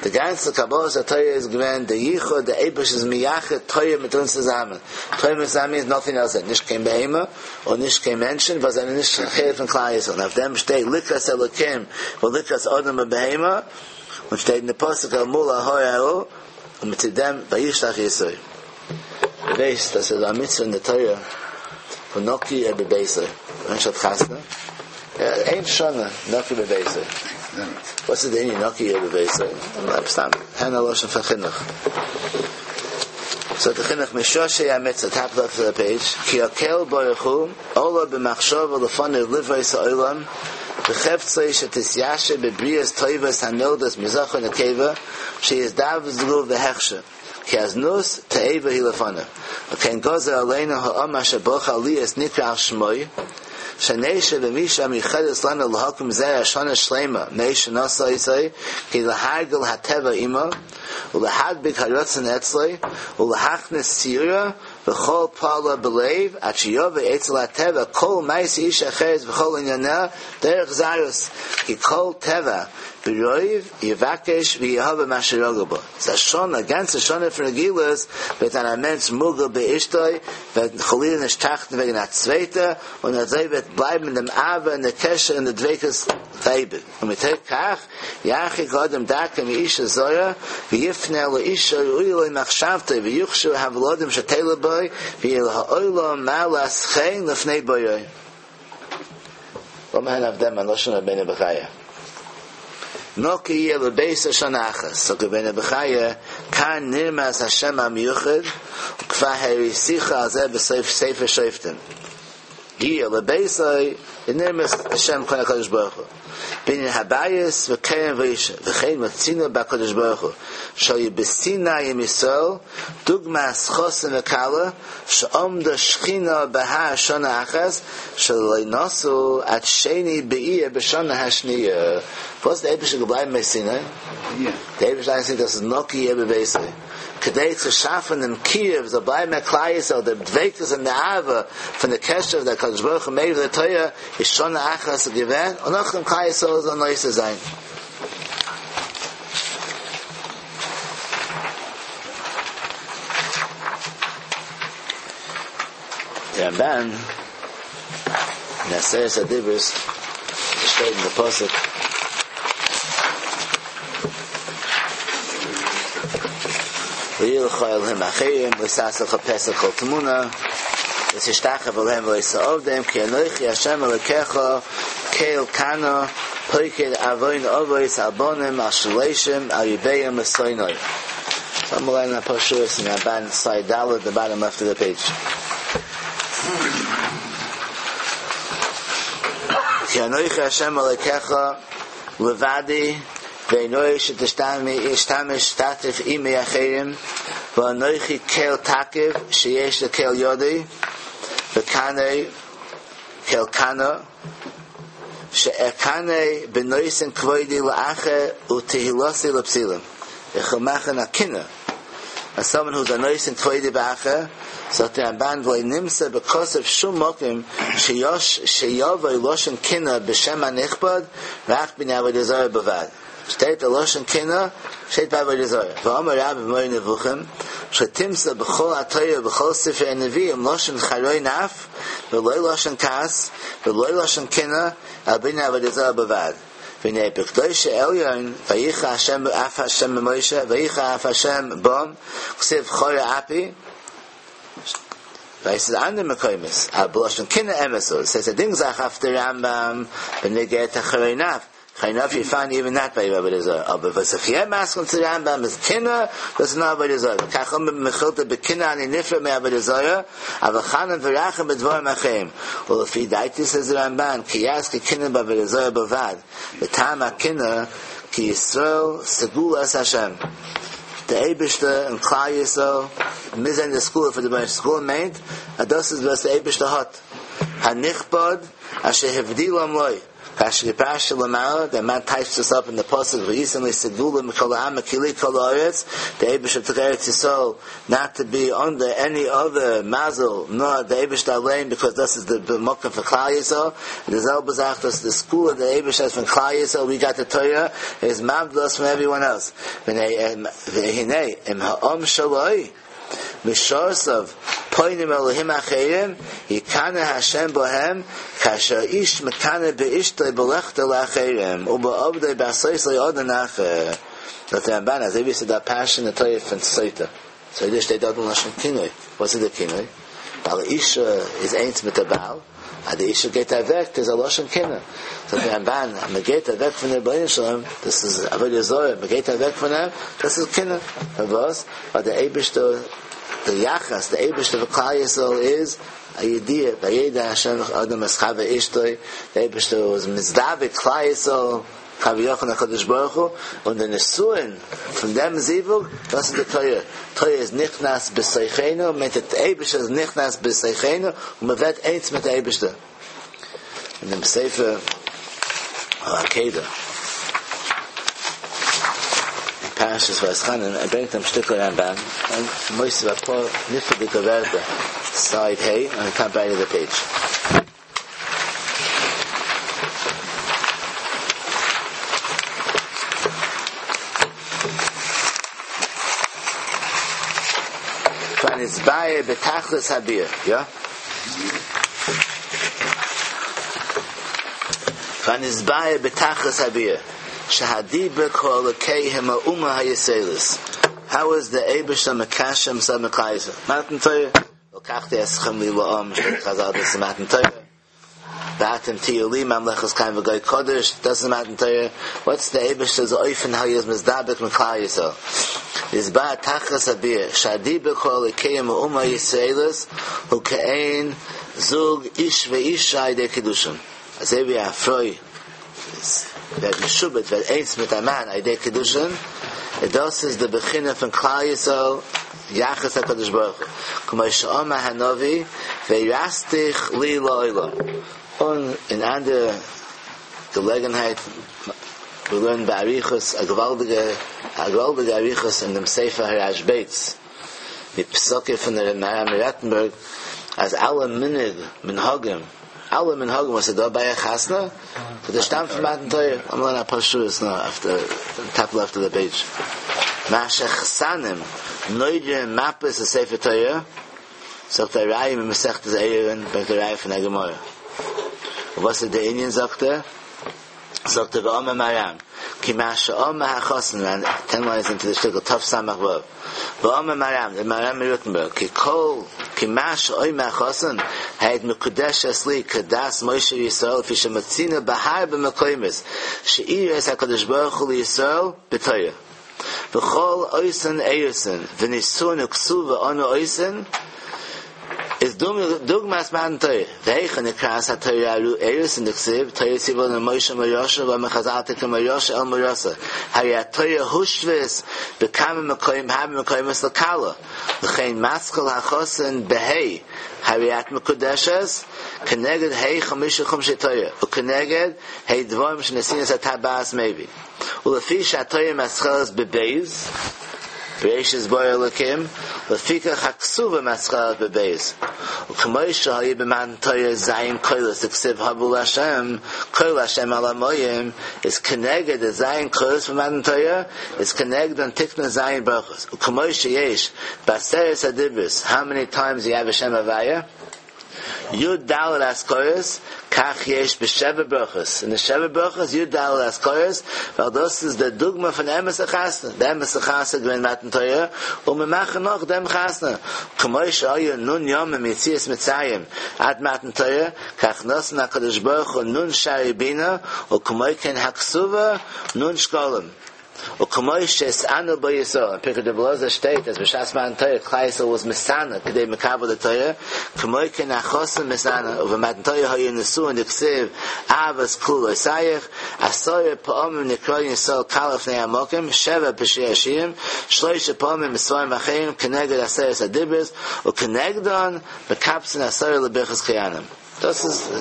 די גאנצע קבלת התורה איז געווען די ייחוד, די אייבערשטער איז מייחד תורה מיט אונז צוזאמען. תורה מיט צוזאמען איז nothing else, נישט קיין בהמה און נישט קיין מענטשן, וואס זענען נישט חלק פון כלל ישראל. און אויף דעם שטייט לקראת אלוקים ולקראת אדם ובהמה, און שטייט אין די פסוק אל מול ההר ההוא, און מיט דעם וישלח יתרו. דו ווייסט אז ס'איז א מצוה אין די תורה פון נקי יהיה בביתו, מענטש האט חתונה, איין שנה נקי בביתו. וואס איז די ענין נקי יהיה בביתו? סתם, הערן א לשון פון חינוך. זאגט די חינוך משרשי המצוה, top left of the page, כי הקל ברוך הוא עלה במחשבה לפניו לברוא את העולם בחפצו שתתיישר בבריות טובות הנולדות מזכר ונקבה שיזדווגו בהכשר כי הזנות תועבה היא לפניו וכן גזר עלינו העם אשר בחר להיות נקרא על שמו שנשב עם אשה המיוחדת לנו להקים זרע שנה שלימה מעת שנשא אותה כדי להרגיל הטבע עמה ולהדביק הרצון אצלו ולהכניס ציורה וכל פעלה בלב עד שיבוא אצל הטבע כל מעשה אשה אחרת וכל ענייניה דרך זרות כי כל טבע ברוב יבקש ויאהב מה שרגיל בו. ס'איז א שנה, א גאנצע שנה פון רגילות, וועט זיין א מענטש מורגל באשתו, וועט חלילה נישט טראכטן וועגן א צווייטע, און אזוי וועט בלייבן דעם אהבה און די קשר און די דביקות אויף אייביג. ומתוך כך ירחיק האדם דרכו מאשה זרה ויפנה אל האשה הראויה לו מחשבתו ויוכשרו הוולדים שתלד בו ויהיה לעולם מעלת חן לפני בוראו. לאמיר הערן אויף דעם א לשון רבינו בחיי. נקי יהיה בביתו שנה אחת, זאגט רבינו בחיי, כאן נרמז השם המיוחד, וכבר הראיתיך על זה בסוף ספר שופטים. יהיה לביתו נרמז השם כאן הקדוש ברוך הוא. בענין הבית וקרן ואשה, וכן מצינו בקדוש ברוך הוא, שהיה בסיני עם ישראל, דוגמת חתן וכלה, שעמדה שכינה בהר שנה אחת, שלא נסעו עד שני באייר בשנה השנייה. וואס דער אייבערשטער געבלייבן ביי סיני? דער אייבערשטער איז דאס איז נקי יהיה בביתו. כדי צו שאפן דעם קירוב זאל בלייבן ביי כלל ישראל דער דביקות און די אהבה פון די קשר דער הקדוש ברוך הוא מעבר לתורה איז שנה אחת געווען און נאכדעם כלל ישראל זאל נושא זיין. דער רמב"ן אין עשרת הדיברות שטייט אין די פסוק לא יהיה לך אלהים אחרים לא תעשה לך פסל כל תמונה לא תשתחוה להם ולא תעבדם כי אנכי השם אלוקיך קל קנא פוקד עוון אבות על בנים על שלושים על רבעים לשונאי. לאמיר לערנען א פאר שורות אין רמב"ן side ד' the bottom left of the page. כי אנכי השם אלוקיך לבדי ואין ראוי שתשתמש שתתף עמי אחרים ואנכי קל תקיף שיש לקל ידי וקנא קל קנא שאקנא בנותן כבודי לאחר ותהילתי לפסילים. איך וויל מאכן א קנאה אז someone who's א נותן כבודו באחר, זאגט דער רמבן ולא נמצא בכתוב שום מקום שיש שיבוא לשון קנאה בשם הנכבד רק בענין עבודה זרה בלבד. שטייט א לשון קנאה שטייט ביי עבודה זרה. ואמר רבה במורה נבוכים שלא תמצא בכל התורה ובכל ספרי הנביאים לשון חרון אף ולא לשון כעס ולא לשון קנאה אלא בענין עבודה זרה בלבד. והנה בקדושי עליון ויחר השם אף השם במשה ויחר אף השם בם כתיב חרה אפי ווייל ס'איז אנדערע מקומות אבל בלשון קנאה אמת הוא ס'איז א דינג זאך אויף די רמב"ם בנוגע צו חרון אף חרון אף יו פיינד איווען נאט ביי עבודה זרה אבער וואס איך יא מסכים צו רמב"ם איז קנאה דאס איז נאר עבודה זרה וכך אמר במכילתא בקנאה אני נפרד מעבודה זרה אבל חנון ורחום בדברים אחרים ולפי דעתי says the רמב"ן כי יזכיר קנאה בעבודה זרה בלבד וטעם הקנאה כי ישראל סגולת השם דער אייבערשטער און כלל ישראל מיר זענען די סגולה פאר די רבונו של עולם סגולה מיינט אז דאס איז וואס דער אייבערשטער האט הנכבד אשר הבדילם לו כאשר פירשתי למעלה, דער רמב"ן טייטשט עס אפ אין די פסוק והייתם לי סגולה מכל העמים כי לי כל הארץ, דער אייבערשטער טוק ארץ ישראל נאט טו בי אנדער עני אדער מזל נאר דער אייבערשטער אליין ביקאוז דאס איז די מקום פון כלל ישראל, און די זעלבע זאך דאס איז די סגולה דער אייבערשטער האט פון כלל ישראל ווי גאט די תורה איז מבדיל אס פון עווריוואן עלס, והנה אם העם שלו משרתיו פונים אלהים אחרים יקנא השם בהם כאשר איש מקנא באשתו בלכתו לאחרים ובעבדו בעשותו לו אדון אחר. זאגט דער רמב"ן אזוי ווי ס'איז דא א פרשה אין די תורה פון סוטה, סוטה שטייט דארט אין לשון קינוי, וואס איז די קינוי? ווייל א אישה איז איינס מיט א בעל, אז די אישה גייט אוועק איז א לשון קנאה. זאגט דער רמב"ן אז מען גייט אוועק פון דער רבונו של עולם, דאס איז עבודה זרה, מען גייט אוועק פון אים, דאס איז קנאה. פארוואס? ווייל דער אייבערשטער, דער יחס, דער אייבערשטער פאר כלל ישראל איז א ידיעה, וידע השם אדם את חוה אשתו, דער אייבערשטער איז מזדווג כלל ישראל, כביכול הקדוש ברוך הוא, און די נישואין פון דעם זיווג, דאס איז די תורה, תורה איז נכנס בתוכנו, מיינט דער אייבערשטער איז נכנס בתוכנו, און מען ווערט איינס מיט דער אייבערשטער. אין דעם ספר העקידה, אין פרשת ואתחנן, ער ברענגט דעם שטיקל רמב"ן, און מוסיף אפאר נפלא'דיגע ווערטער, סייד ה', אן די טאפ רייט אוו די פעידזש. כבר נתבאר בתכלית הביאור, יא? כבר נתבאר בתכלית הביאור, שהדיבור כל אלוקי הם האומה הישראלית. How is the אייבערשטער מקשר himself מיט כלל ישראל? מתן תורה. ולקחתי אתכם לי לעם, שטייט חזל דאס איז מתן תורה, ואתם תהיו לי ממלכת כהנים וגוי קדוש, דאס איז מתן תורה, וואטס די אייבערשטער'ס אופן האו הי איז מתדבק מיט כלל ישראל, נתבאר תכלית הביאור, שהדיבור כל אלוקיהם האומה הישראלית הוא כעין זוג איש ואישה על ידי קידושין, אזוי ווי א פרוי ווערט משועבד ווערט איינס מיט א מאן על ידי קידושין, און דאס איז די בחינה פון כלל ישראל יחס הקדוש ברוך הוא, כמו שאמר הנביא וארשתיך לי לעולם, און אין אנדערע געלעגנהייט מיר לערנען באריכות א געוואלדיגע א געוואלדיגע אריכות אין דעם ספר הרשב"ץ די פסקים פון ר' מהר"ם מרוטנבורג אז אלע מנהג מנהגים אלע מנהגים וואס איז דא ביי א חתונה דאס שטאמט פון מתן תורה לאמיר לערנען אפאר שורות נאר אויף די טאפ לעפט אוו די פעידזש מה שחתנים נודרים מפות לספר תורה זאגט א ראיה ממסכת עירובין ברענגט א ראיה פון א גמרא און וואס איז די ענין זאגט ער זאגט ער ואמר מהר"ם כי מה שאמר החתן און טען ליינס אינטו די שטיקל תס"ו ואמר מהר"ם דער מהר"ם מרוטנבורג כי כל כי מה שאומר החתן הרי את מקודשת לי כדת משה וישראל לפי שמצינו בהרבה מקומות שאירס הקדוש ברוך הוא לישראל בתורה וכל אותן אירוסין ונישואין וכתובה אנו עושין איז איז דוגמת מתן תורה, והיכן נקראת התורה אירוסין דכתיב, תורה ציוה לנו משה מורשה ואמרו חז"ל תקרא מורשה אל מאורסה, הרי התורה הושוית בכמה מקום הרבה מקומות לכלה, לכן מתחיל החתן בה' הרי את מקודשת, כנגד ה' חמשה חומשי תורה, וכנגד ה' דברים שנתינת הטבעת מביא. ולפי שהתורה מתחלת בב', בראשית ברא אלקים, לפיכך הכתובה מתחלת בב'. וכמו שהיה במתן תורה ז' קולות דכתיב הבו להשם, קול השם על המים, איז כנגד די ז' קולות פון מתן תורה, איז כנגדן תקנו ז' ברכות. וכמו שיש בעשרת הדיברות, how many times you have a שם הוויה? י"ד הזכרות, כך יש בשבע ברכות. אין די שבע ברכות י"ד הזכרות, ווייל דאס איז די דוגמא פון אמת'ע חתונה. די אמת'ע חתונה איז געווען מתן תורה, און מיר מאכן נאך דעם חתונה. כמו שהיו נ' ימים מיציאת מצרים עד מתן תורה, כך נתן הקדוש ברוך הוא נ' שערי בינה, וכמו כן הכתובה נ' שקלים. וכמו שהתענו בו ישראל, אין פרקי דרבי אלעזר שטייט אז בשעת מתן תורה כלל ישראל was מתענה כדי מקבל די תורה, כמו כן החתן מתענה, ובמתן תורה היו נשואין דכתיב אהבת כלולותיך, עשרה פעמים נקראין ישראל כלה לפני המקום, שבע בשיר השירים, שלושה פעמים בספרים אחרים כנגד עשרת הדיברות, וכנגדן מקבצין עשרה לברכת כהנים. דאס איז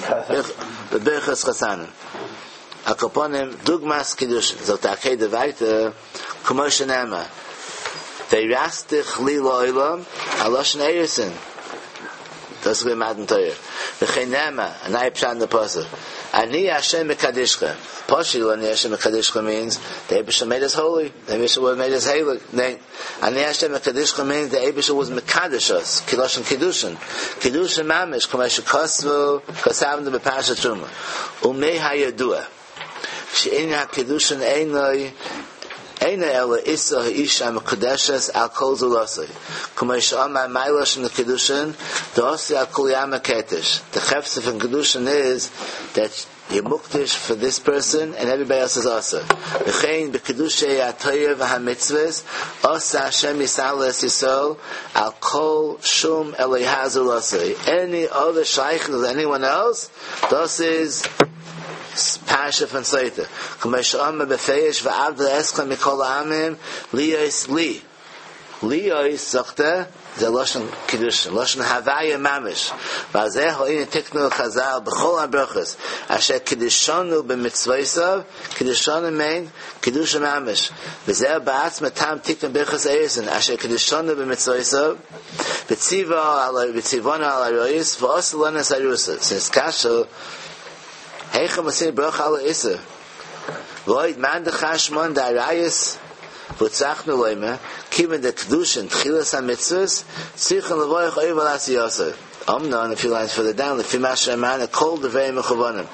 בברכת חתנים. על כל פנים, דוגמת קידושין, זאגט די עקידה ווייטער, כמו שנאמר, וארשתיך לי לעולם, א לשון אירוסין, דאס איז געווען מתן תורה, וכן נאמר, א נייע פשט אין די פסוק, אני ה' מקדשכם, פשוט אני ה' מקדשכם מיינס, די אייבערשטער made us holy, די אייבערשטער made us הייליג, ניין, אני ה' מקדשכם מיינס, די אייבערשטער was מקדש us, כלשון קידושין, קידושין ממש, כמו שכתבו, כתבנו בפרשת תרומה. ומהידוע שענין הקידושין אינו אינו אלא אישא האישה המקודשת על כל זולתו כמו שאמר מה לשון קידושין דאתי על כולי עלמא כהקדש the חפצא פון קידושין איז that you're מוקדש for this person and everybody else is אסור וכן בקידושי התורה והמצוות עשה השם יתעלה את ישראל על כל שום אלוה זולתו any other שייכות with anyone else דאס איז פרשה פון סוטה כמו שאמר בפירוש ואבדיל אתכם מכל העמים להיות לי להיות זאגט ער זה לשון קידושין לשון הוויה ממש ועל זה הענין תקנו חז"ל בכל הברכות אשר קידשנו במצוותיו קידשנו מיינט קידושין ממש וזה בעצמו טעם תיקון ברכת האירוסין אשר קידשנו במצוותיו וציווה על וציוונו על עריות ועשה לנו את האירוסין ס'איז קשה היכן מצינו ברכה על האיסור ועוד מאן דכר שמיה דעריות והוצרכנו לומר כיוון דקידושין תחילת המצוות צריכין לברך עובר על עשייתו אמנם, a few lines further down, לפי מה שאמרנו, כל דבריהם מכוונים.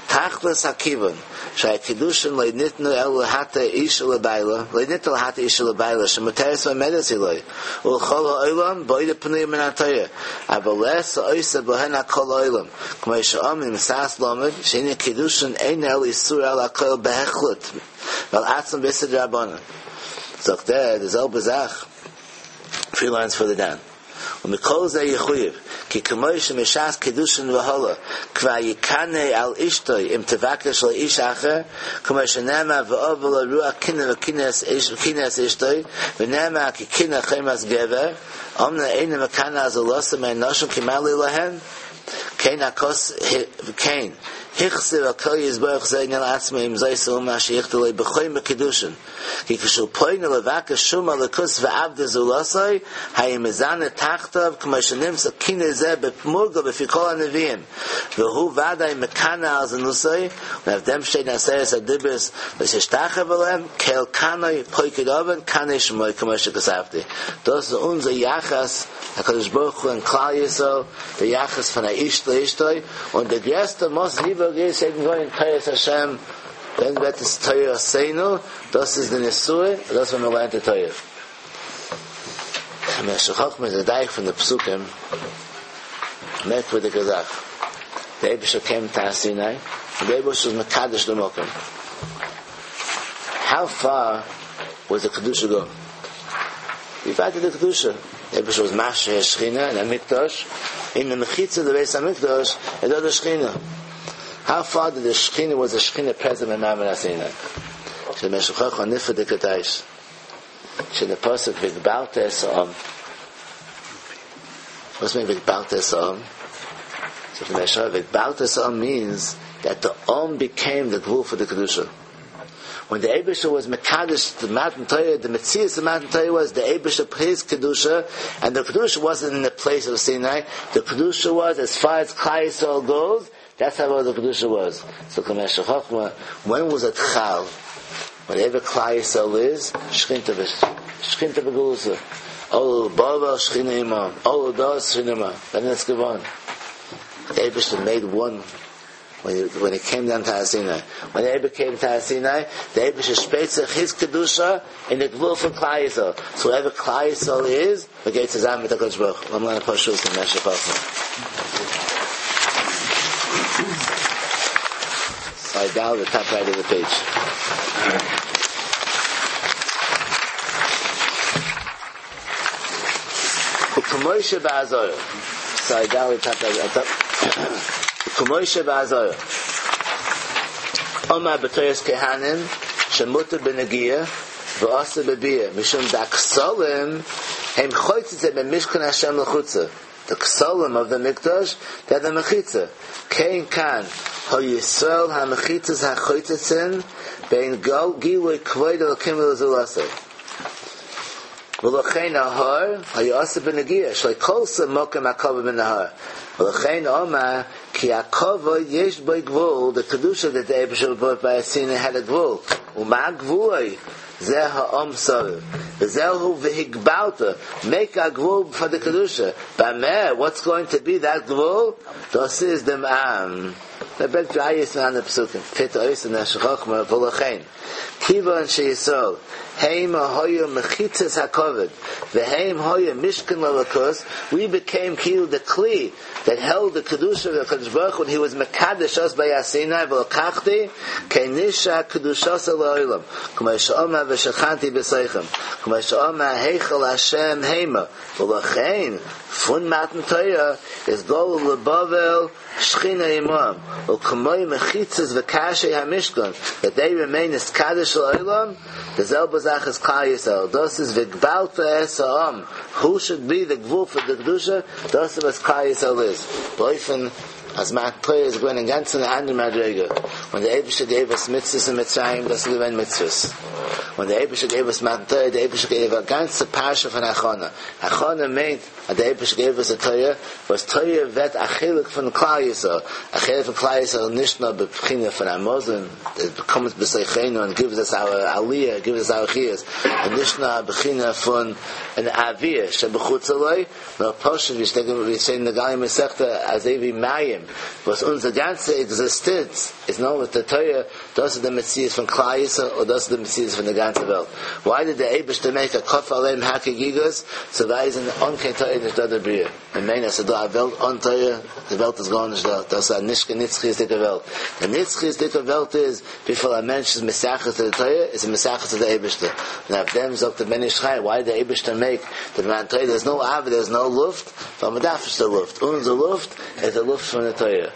תכלית הכיוון, שהקידושין לא ניתנו אלא להתיר אישה לבעלה, לא ניתנו להתיר אישה לבעלה, שמותרת ועומדת היא לו, ולכל העולם, בעודה פנויה מן התורה. אבל לית העושה בהן על כל העולם. כמו שאומרים, ש"ס למד, שענין קידושין אין אלא איסור על הכל בהחלט, ועל עצמם באיסור דרבנן. זאגט ער, די זעלבע זאך, three lines further down. ומכל זה יחויב, כי כמו שמשעת קידושין והלאה, כבר יקנא על אשתו אם תבקש לאיש אחר, כמו שנאמר ואבה לו רוח קנאה וקנא את אשתו, ונאמר כי קנאה חומת גבר, אמנם אינו מקנא על זולתו מהנשים כי מה לי להן? כן הכוס, כן, החזיר על כל יתברך זה עניין לעצמו עם זאת האומה אשר יכתוב לו בחומר קידושין. כי כשהוא פונה לבקש שום אלוקות ועבדי זולתו, היה מזנה תחתיו כמו שנמצא קינא זה מורגל בפי כל הנביאים. והוא ודאי מקנא על זנותו, און אויף דעם שטייט אין עשרת הדיברות לא תשתחוה להם, קל קנאי פוקד עון קנא שמו כמו שכתבתי. דאס איז אונזער יחס הקדוש ברוך הוא און כלל ישראל, דער יחס פון א איש לאשתו, און דער גרעסטער מאס זיווג איז יעדן גוי אין תורת השם, דען ווערט עס תורתנו, דאס איז די נישואין, דאס ווען מען לערנט די תורה. משך חכמה איז מדייק פון די פסוקים, מערקווירדיגע זאך, דער אייבערשטער קומט הר סיני, און דער אייבערשטער איז מקדש די מקום. How far was the קדושה go? ווי ווייט איז די קדושה? די אייבערשטער וואס משרה שכינה אין א מקדש, אין די מחיצה די בית המקדש איז דא די שכינה. How far did the שכינה was the שכינה present in מעמד הר סיני? שמשך חכמה נפלא דקדש. שדי פסוק והגבלת את העם. What's mean והגבלת את העם? So the משך והגבלת את העם means that the עם became the גבול for the קדושה. When the אייבערשטער was מקדש the מתן תורה, the מציאות of מתן תורה was the אייבערשטער his קדושה, and the קדושה wasn't in the place of Sinai. The קדושה was as far as כלל ישראל goes. That's how the קדושה was. So Chachma, when was it חל? Whenever כלל ישראל is, שכינתא שכינתא בגלותא. עלו לבבל שכינה עמם. עלו דאס שכינה עמם. Then it's געווארן. The אייבערשטער made one when he, when he came down to Har Sinai. When the אייבערשטער came to Har Sinai, the אייבערשטער שפרייט זיך his קדושה in the גבול for כלל ישראל. So wherever כלל ישראל is, the גייט צוזאמען מיט הקדוש ברוך הוא. I'm going to push in משך חכמה. Slide down the top right of the page. U'kamoishe ba'azor. Slide down the top right. Top. U'kamoishe ba'azor. Omar b'toyes kehanim shemuta b'negia v'asa b'bia mishum daksolim hem choytzitze b'mishkan Hashem l'chutza. The ksolim of the mikdash, they're the mechitza. Kein kan ho Yisrael ha-mechitzas ha-choytzitzin bein gilui kvoid elokim v'lezulasei. V'lochein ahar ha-yasa b'negia shlei kolsa mokem hakova b'nahar. V'lochein omar ki hakova yesh boi gvul, the kedusha that the Eibush brought by Sinai had a gvul. Uma gvuloi zeh ha'om saviv. V'zehu v'higbalta. Make a gvul for the kedusha. Bameh, what's going to be that gvul? Das is dem am. The bet rayis on the psukim. Fit ois and neshachachma v'lochein. Kivan sheyisol. Heim hoya mechitzas hakovid. V'heim hoya mishkan lalakus. We became kilu the kli that held the kedusha of the Kadosh Baruch when he was mekadesh us by Sinai v'lokachti kenisha kedushas la'olam. K'may she'oma v'shechanti b'seichem. K'may she'oma heichal Hashem heima. V'lochein fun matan Torah is gol lebavel shchina imam. U'k'moy mechitzas v'kashei hamishkan that they remain as kaddish la'olam. The zelba is Klal Yisrael. Das is v'gbalta es ha'am. Who should be the gvul for the kedusha? Das is was Klal Yisrael is. Boifen, as Matan Torah is going in ganzen andere Madrega. When the Eibush gave us mitzvahs in Mitzrayim, das is gewesen mitzvahs. When the Eibush gave us Matan Torah, the Eibush gave a ganze Parsha von Achona. Achona meant that the Eibush gave us a Torah, was Torah vet achilik von Klal Yisrael. Achilik von Klal Yisrael nishna b'pchina von Amozin, it comes b'seichenu and gives us our aliyah, gives us our chiyas. And nishna b'china von an avir, shebechutz aloi, no poshet, we say in the Gali Masechta, as evi mayim, was unser ganze Existenz is known with the Torah, das is the Metzias von Klal Yisrael, or das is the Metzias von der ganze Welt. Why did the Eibush make a kof aleim hakigigas? So that is an onke Torah nicht da der Bria. And meine, so da Welt on Torah, the Welt is gone nicht da. Das ist a nishke nitzchi dicke Welt. The nitzchi dicke Welt is, wie viel a Mensch is mesachas to the Torah, is a mesachas to the Eibush. Now if them sagt the Ben Ish Chai, why did the Eibush make the man Torah? There's no Av, there's no Luft, but man darf the Luft. Unser Luft is the Luft from the Torah.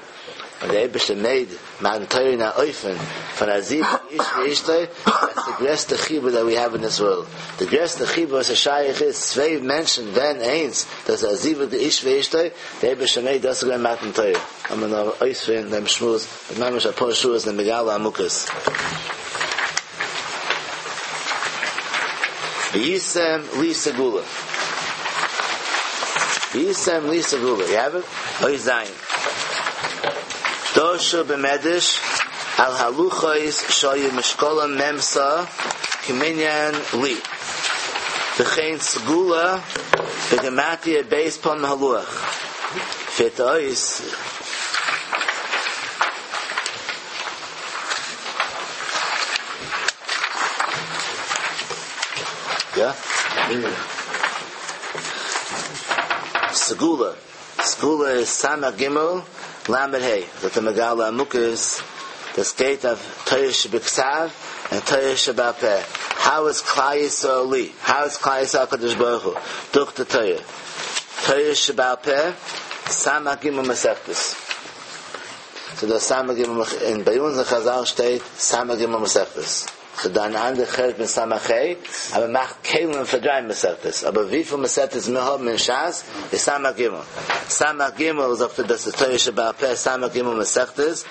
When the Eibush made man Torah na oifen von Aziv ish ve'ishtoi, that's the größte Chibur that we have in this world. The größte Chibur was a Shaykh is zwei Menschen, wenn eins, das Aziv the ish ve'ishtoi, the Eibush made das sogar Matan Torah. I'm gonna oifen dem Shmuz, mit mamish a paar Schuhe in Megala Amukas. V'yisem li segula. V'yisem li segula. You have it? Oy zayin. Dosha b'medish al haluchos shoyu mishkola memsa kiminyan li. V'chein segula b'gematia beis pon haluach. Fit ois. Yeah? Segula. Segula is Samach Gimel Lamed Hey. That the Megala Amukas, the state of Torah Shebiksav and Torah Shebapeh. How is Klal Yisrael li? How is Klal Yisrael HaKadosh Baruch Hu? Durch the Torah. Torah Sheba'al Peh, Samach Gimel Masechtas. So the Samach Gimel, in bei uns in Chazal steht, Samach Gimel Masechtas. So dann andere Chert mit Samachei, aber macht Kelim für drei Masechtas. Aber wie viel Masechtas wir haben in Shas, ist Samach Gimel. Samach Gimel sagt er, das ist Torah Sheba'al Peh, Samach Gimel Masechtas.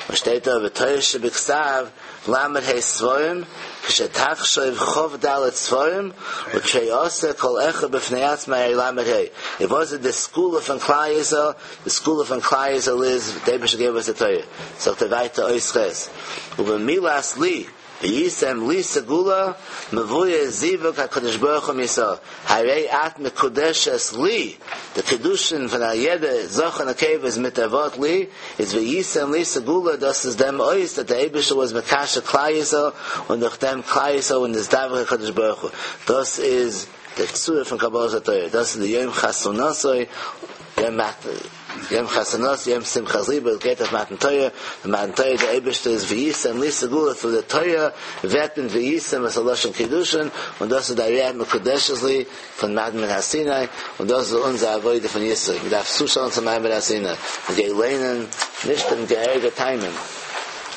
Und steht da, Torah Shebiksav, Lamed Hei Sforim, Kshetachshoiv Chov Dalet Sforim, U'Trei Kol Echa B'fnei Atzma Lamed Hei. It wasn't the school of Klal Yisrael, the school of Klal Yisrael is, David gave us the Torah. So the weiter Ois Ches. U'B'milas Li, V'yisem li segula, mevuye zivuk HaKadosh Baruch Hu Yisrael. Harei at mekudeshes li. The kedushin von Ayede, Zoch and Akev is mitavot li, is v'yisem li segula, das is dem ois, that the Eibisher was mekasha Klal Yisrael, und durch dem Klal Yisrael und das Davach HaKadosh Baruch Hu. Das is the tzura von Kabbalah Torah. Das is the Yom Chasunasoi, Yom Mat, Yom Chasanos, Yom Simchas Liba, geht auf Matan Torah. The Matan Torah, the Eibishter is V'yisem, Li Segula, through the Torah, Vetben V'yisem, as a Lashon Kiddushin, und das ist der Riyad Mekudeshes Li, von Matan Ben HaSinai, und das ist unser Avoide von Yisrael. Wir darf zuschauen zum Matan Ben HaSinai. Wir gehen lehnen, nicht im Geherige Timing.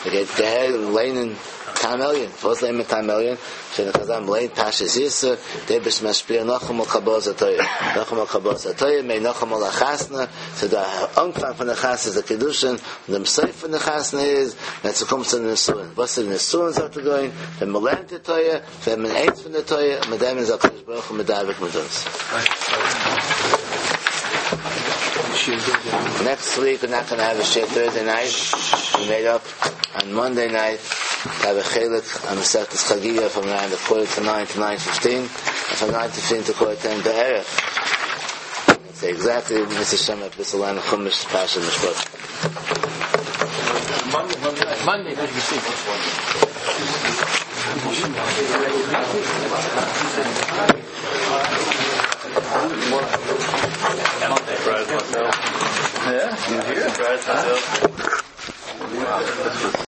Wir gehen Geherige lehnen, Tam Elyon. Was lehnen mit Tam Elyon? Steht in Chazal, lehnt Pashas Yisr, der bist Mashpir noch einmal Kabbalah Torah. Noch einmal Kabbalah Torah, mei noch einmal Chasna. So der Anfang von der Chasna ist der Kiddushin, und der Seif von der Chasna ist, wenn es kommt zu den Nesuin. Was ist den sagt er going? Wenn man lernt die Torah, wenn man eins von der Torah, mit dem ist HaKadosh Baruch Hu mit David mit uns. Next week we're not going to have a share Thursday night. We made up on Monday night to have a chelik on Masechtas Chagiga from around the quarter to nine to nine fifteen, and from nine fifteen to quarter to ten be'erech. Let's say exactly Mister Shem at Bisalan Chumash Pasha Mishpat. Monday, Monday, Monday, night. Yeah, you here?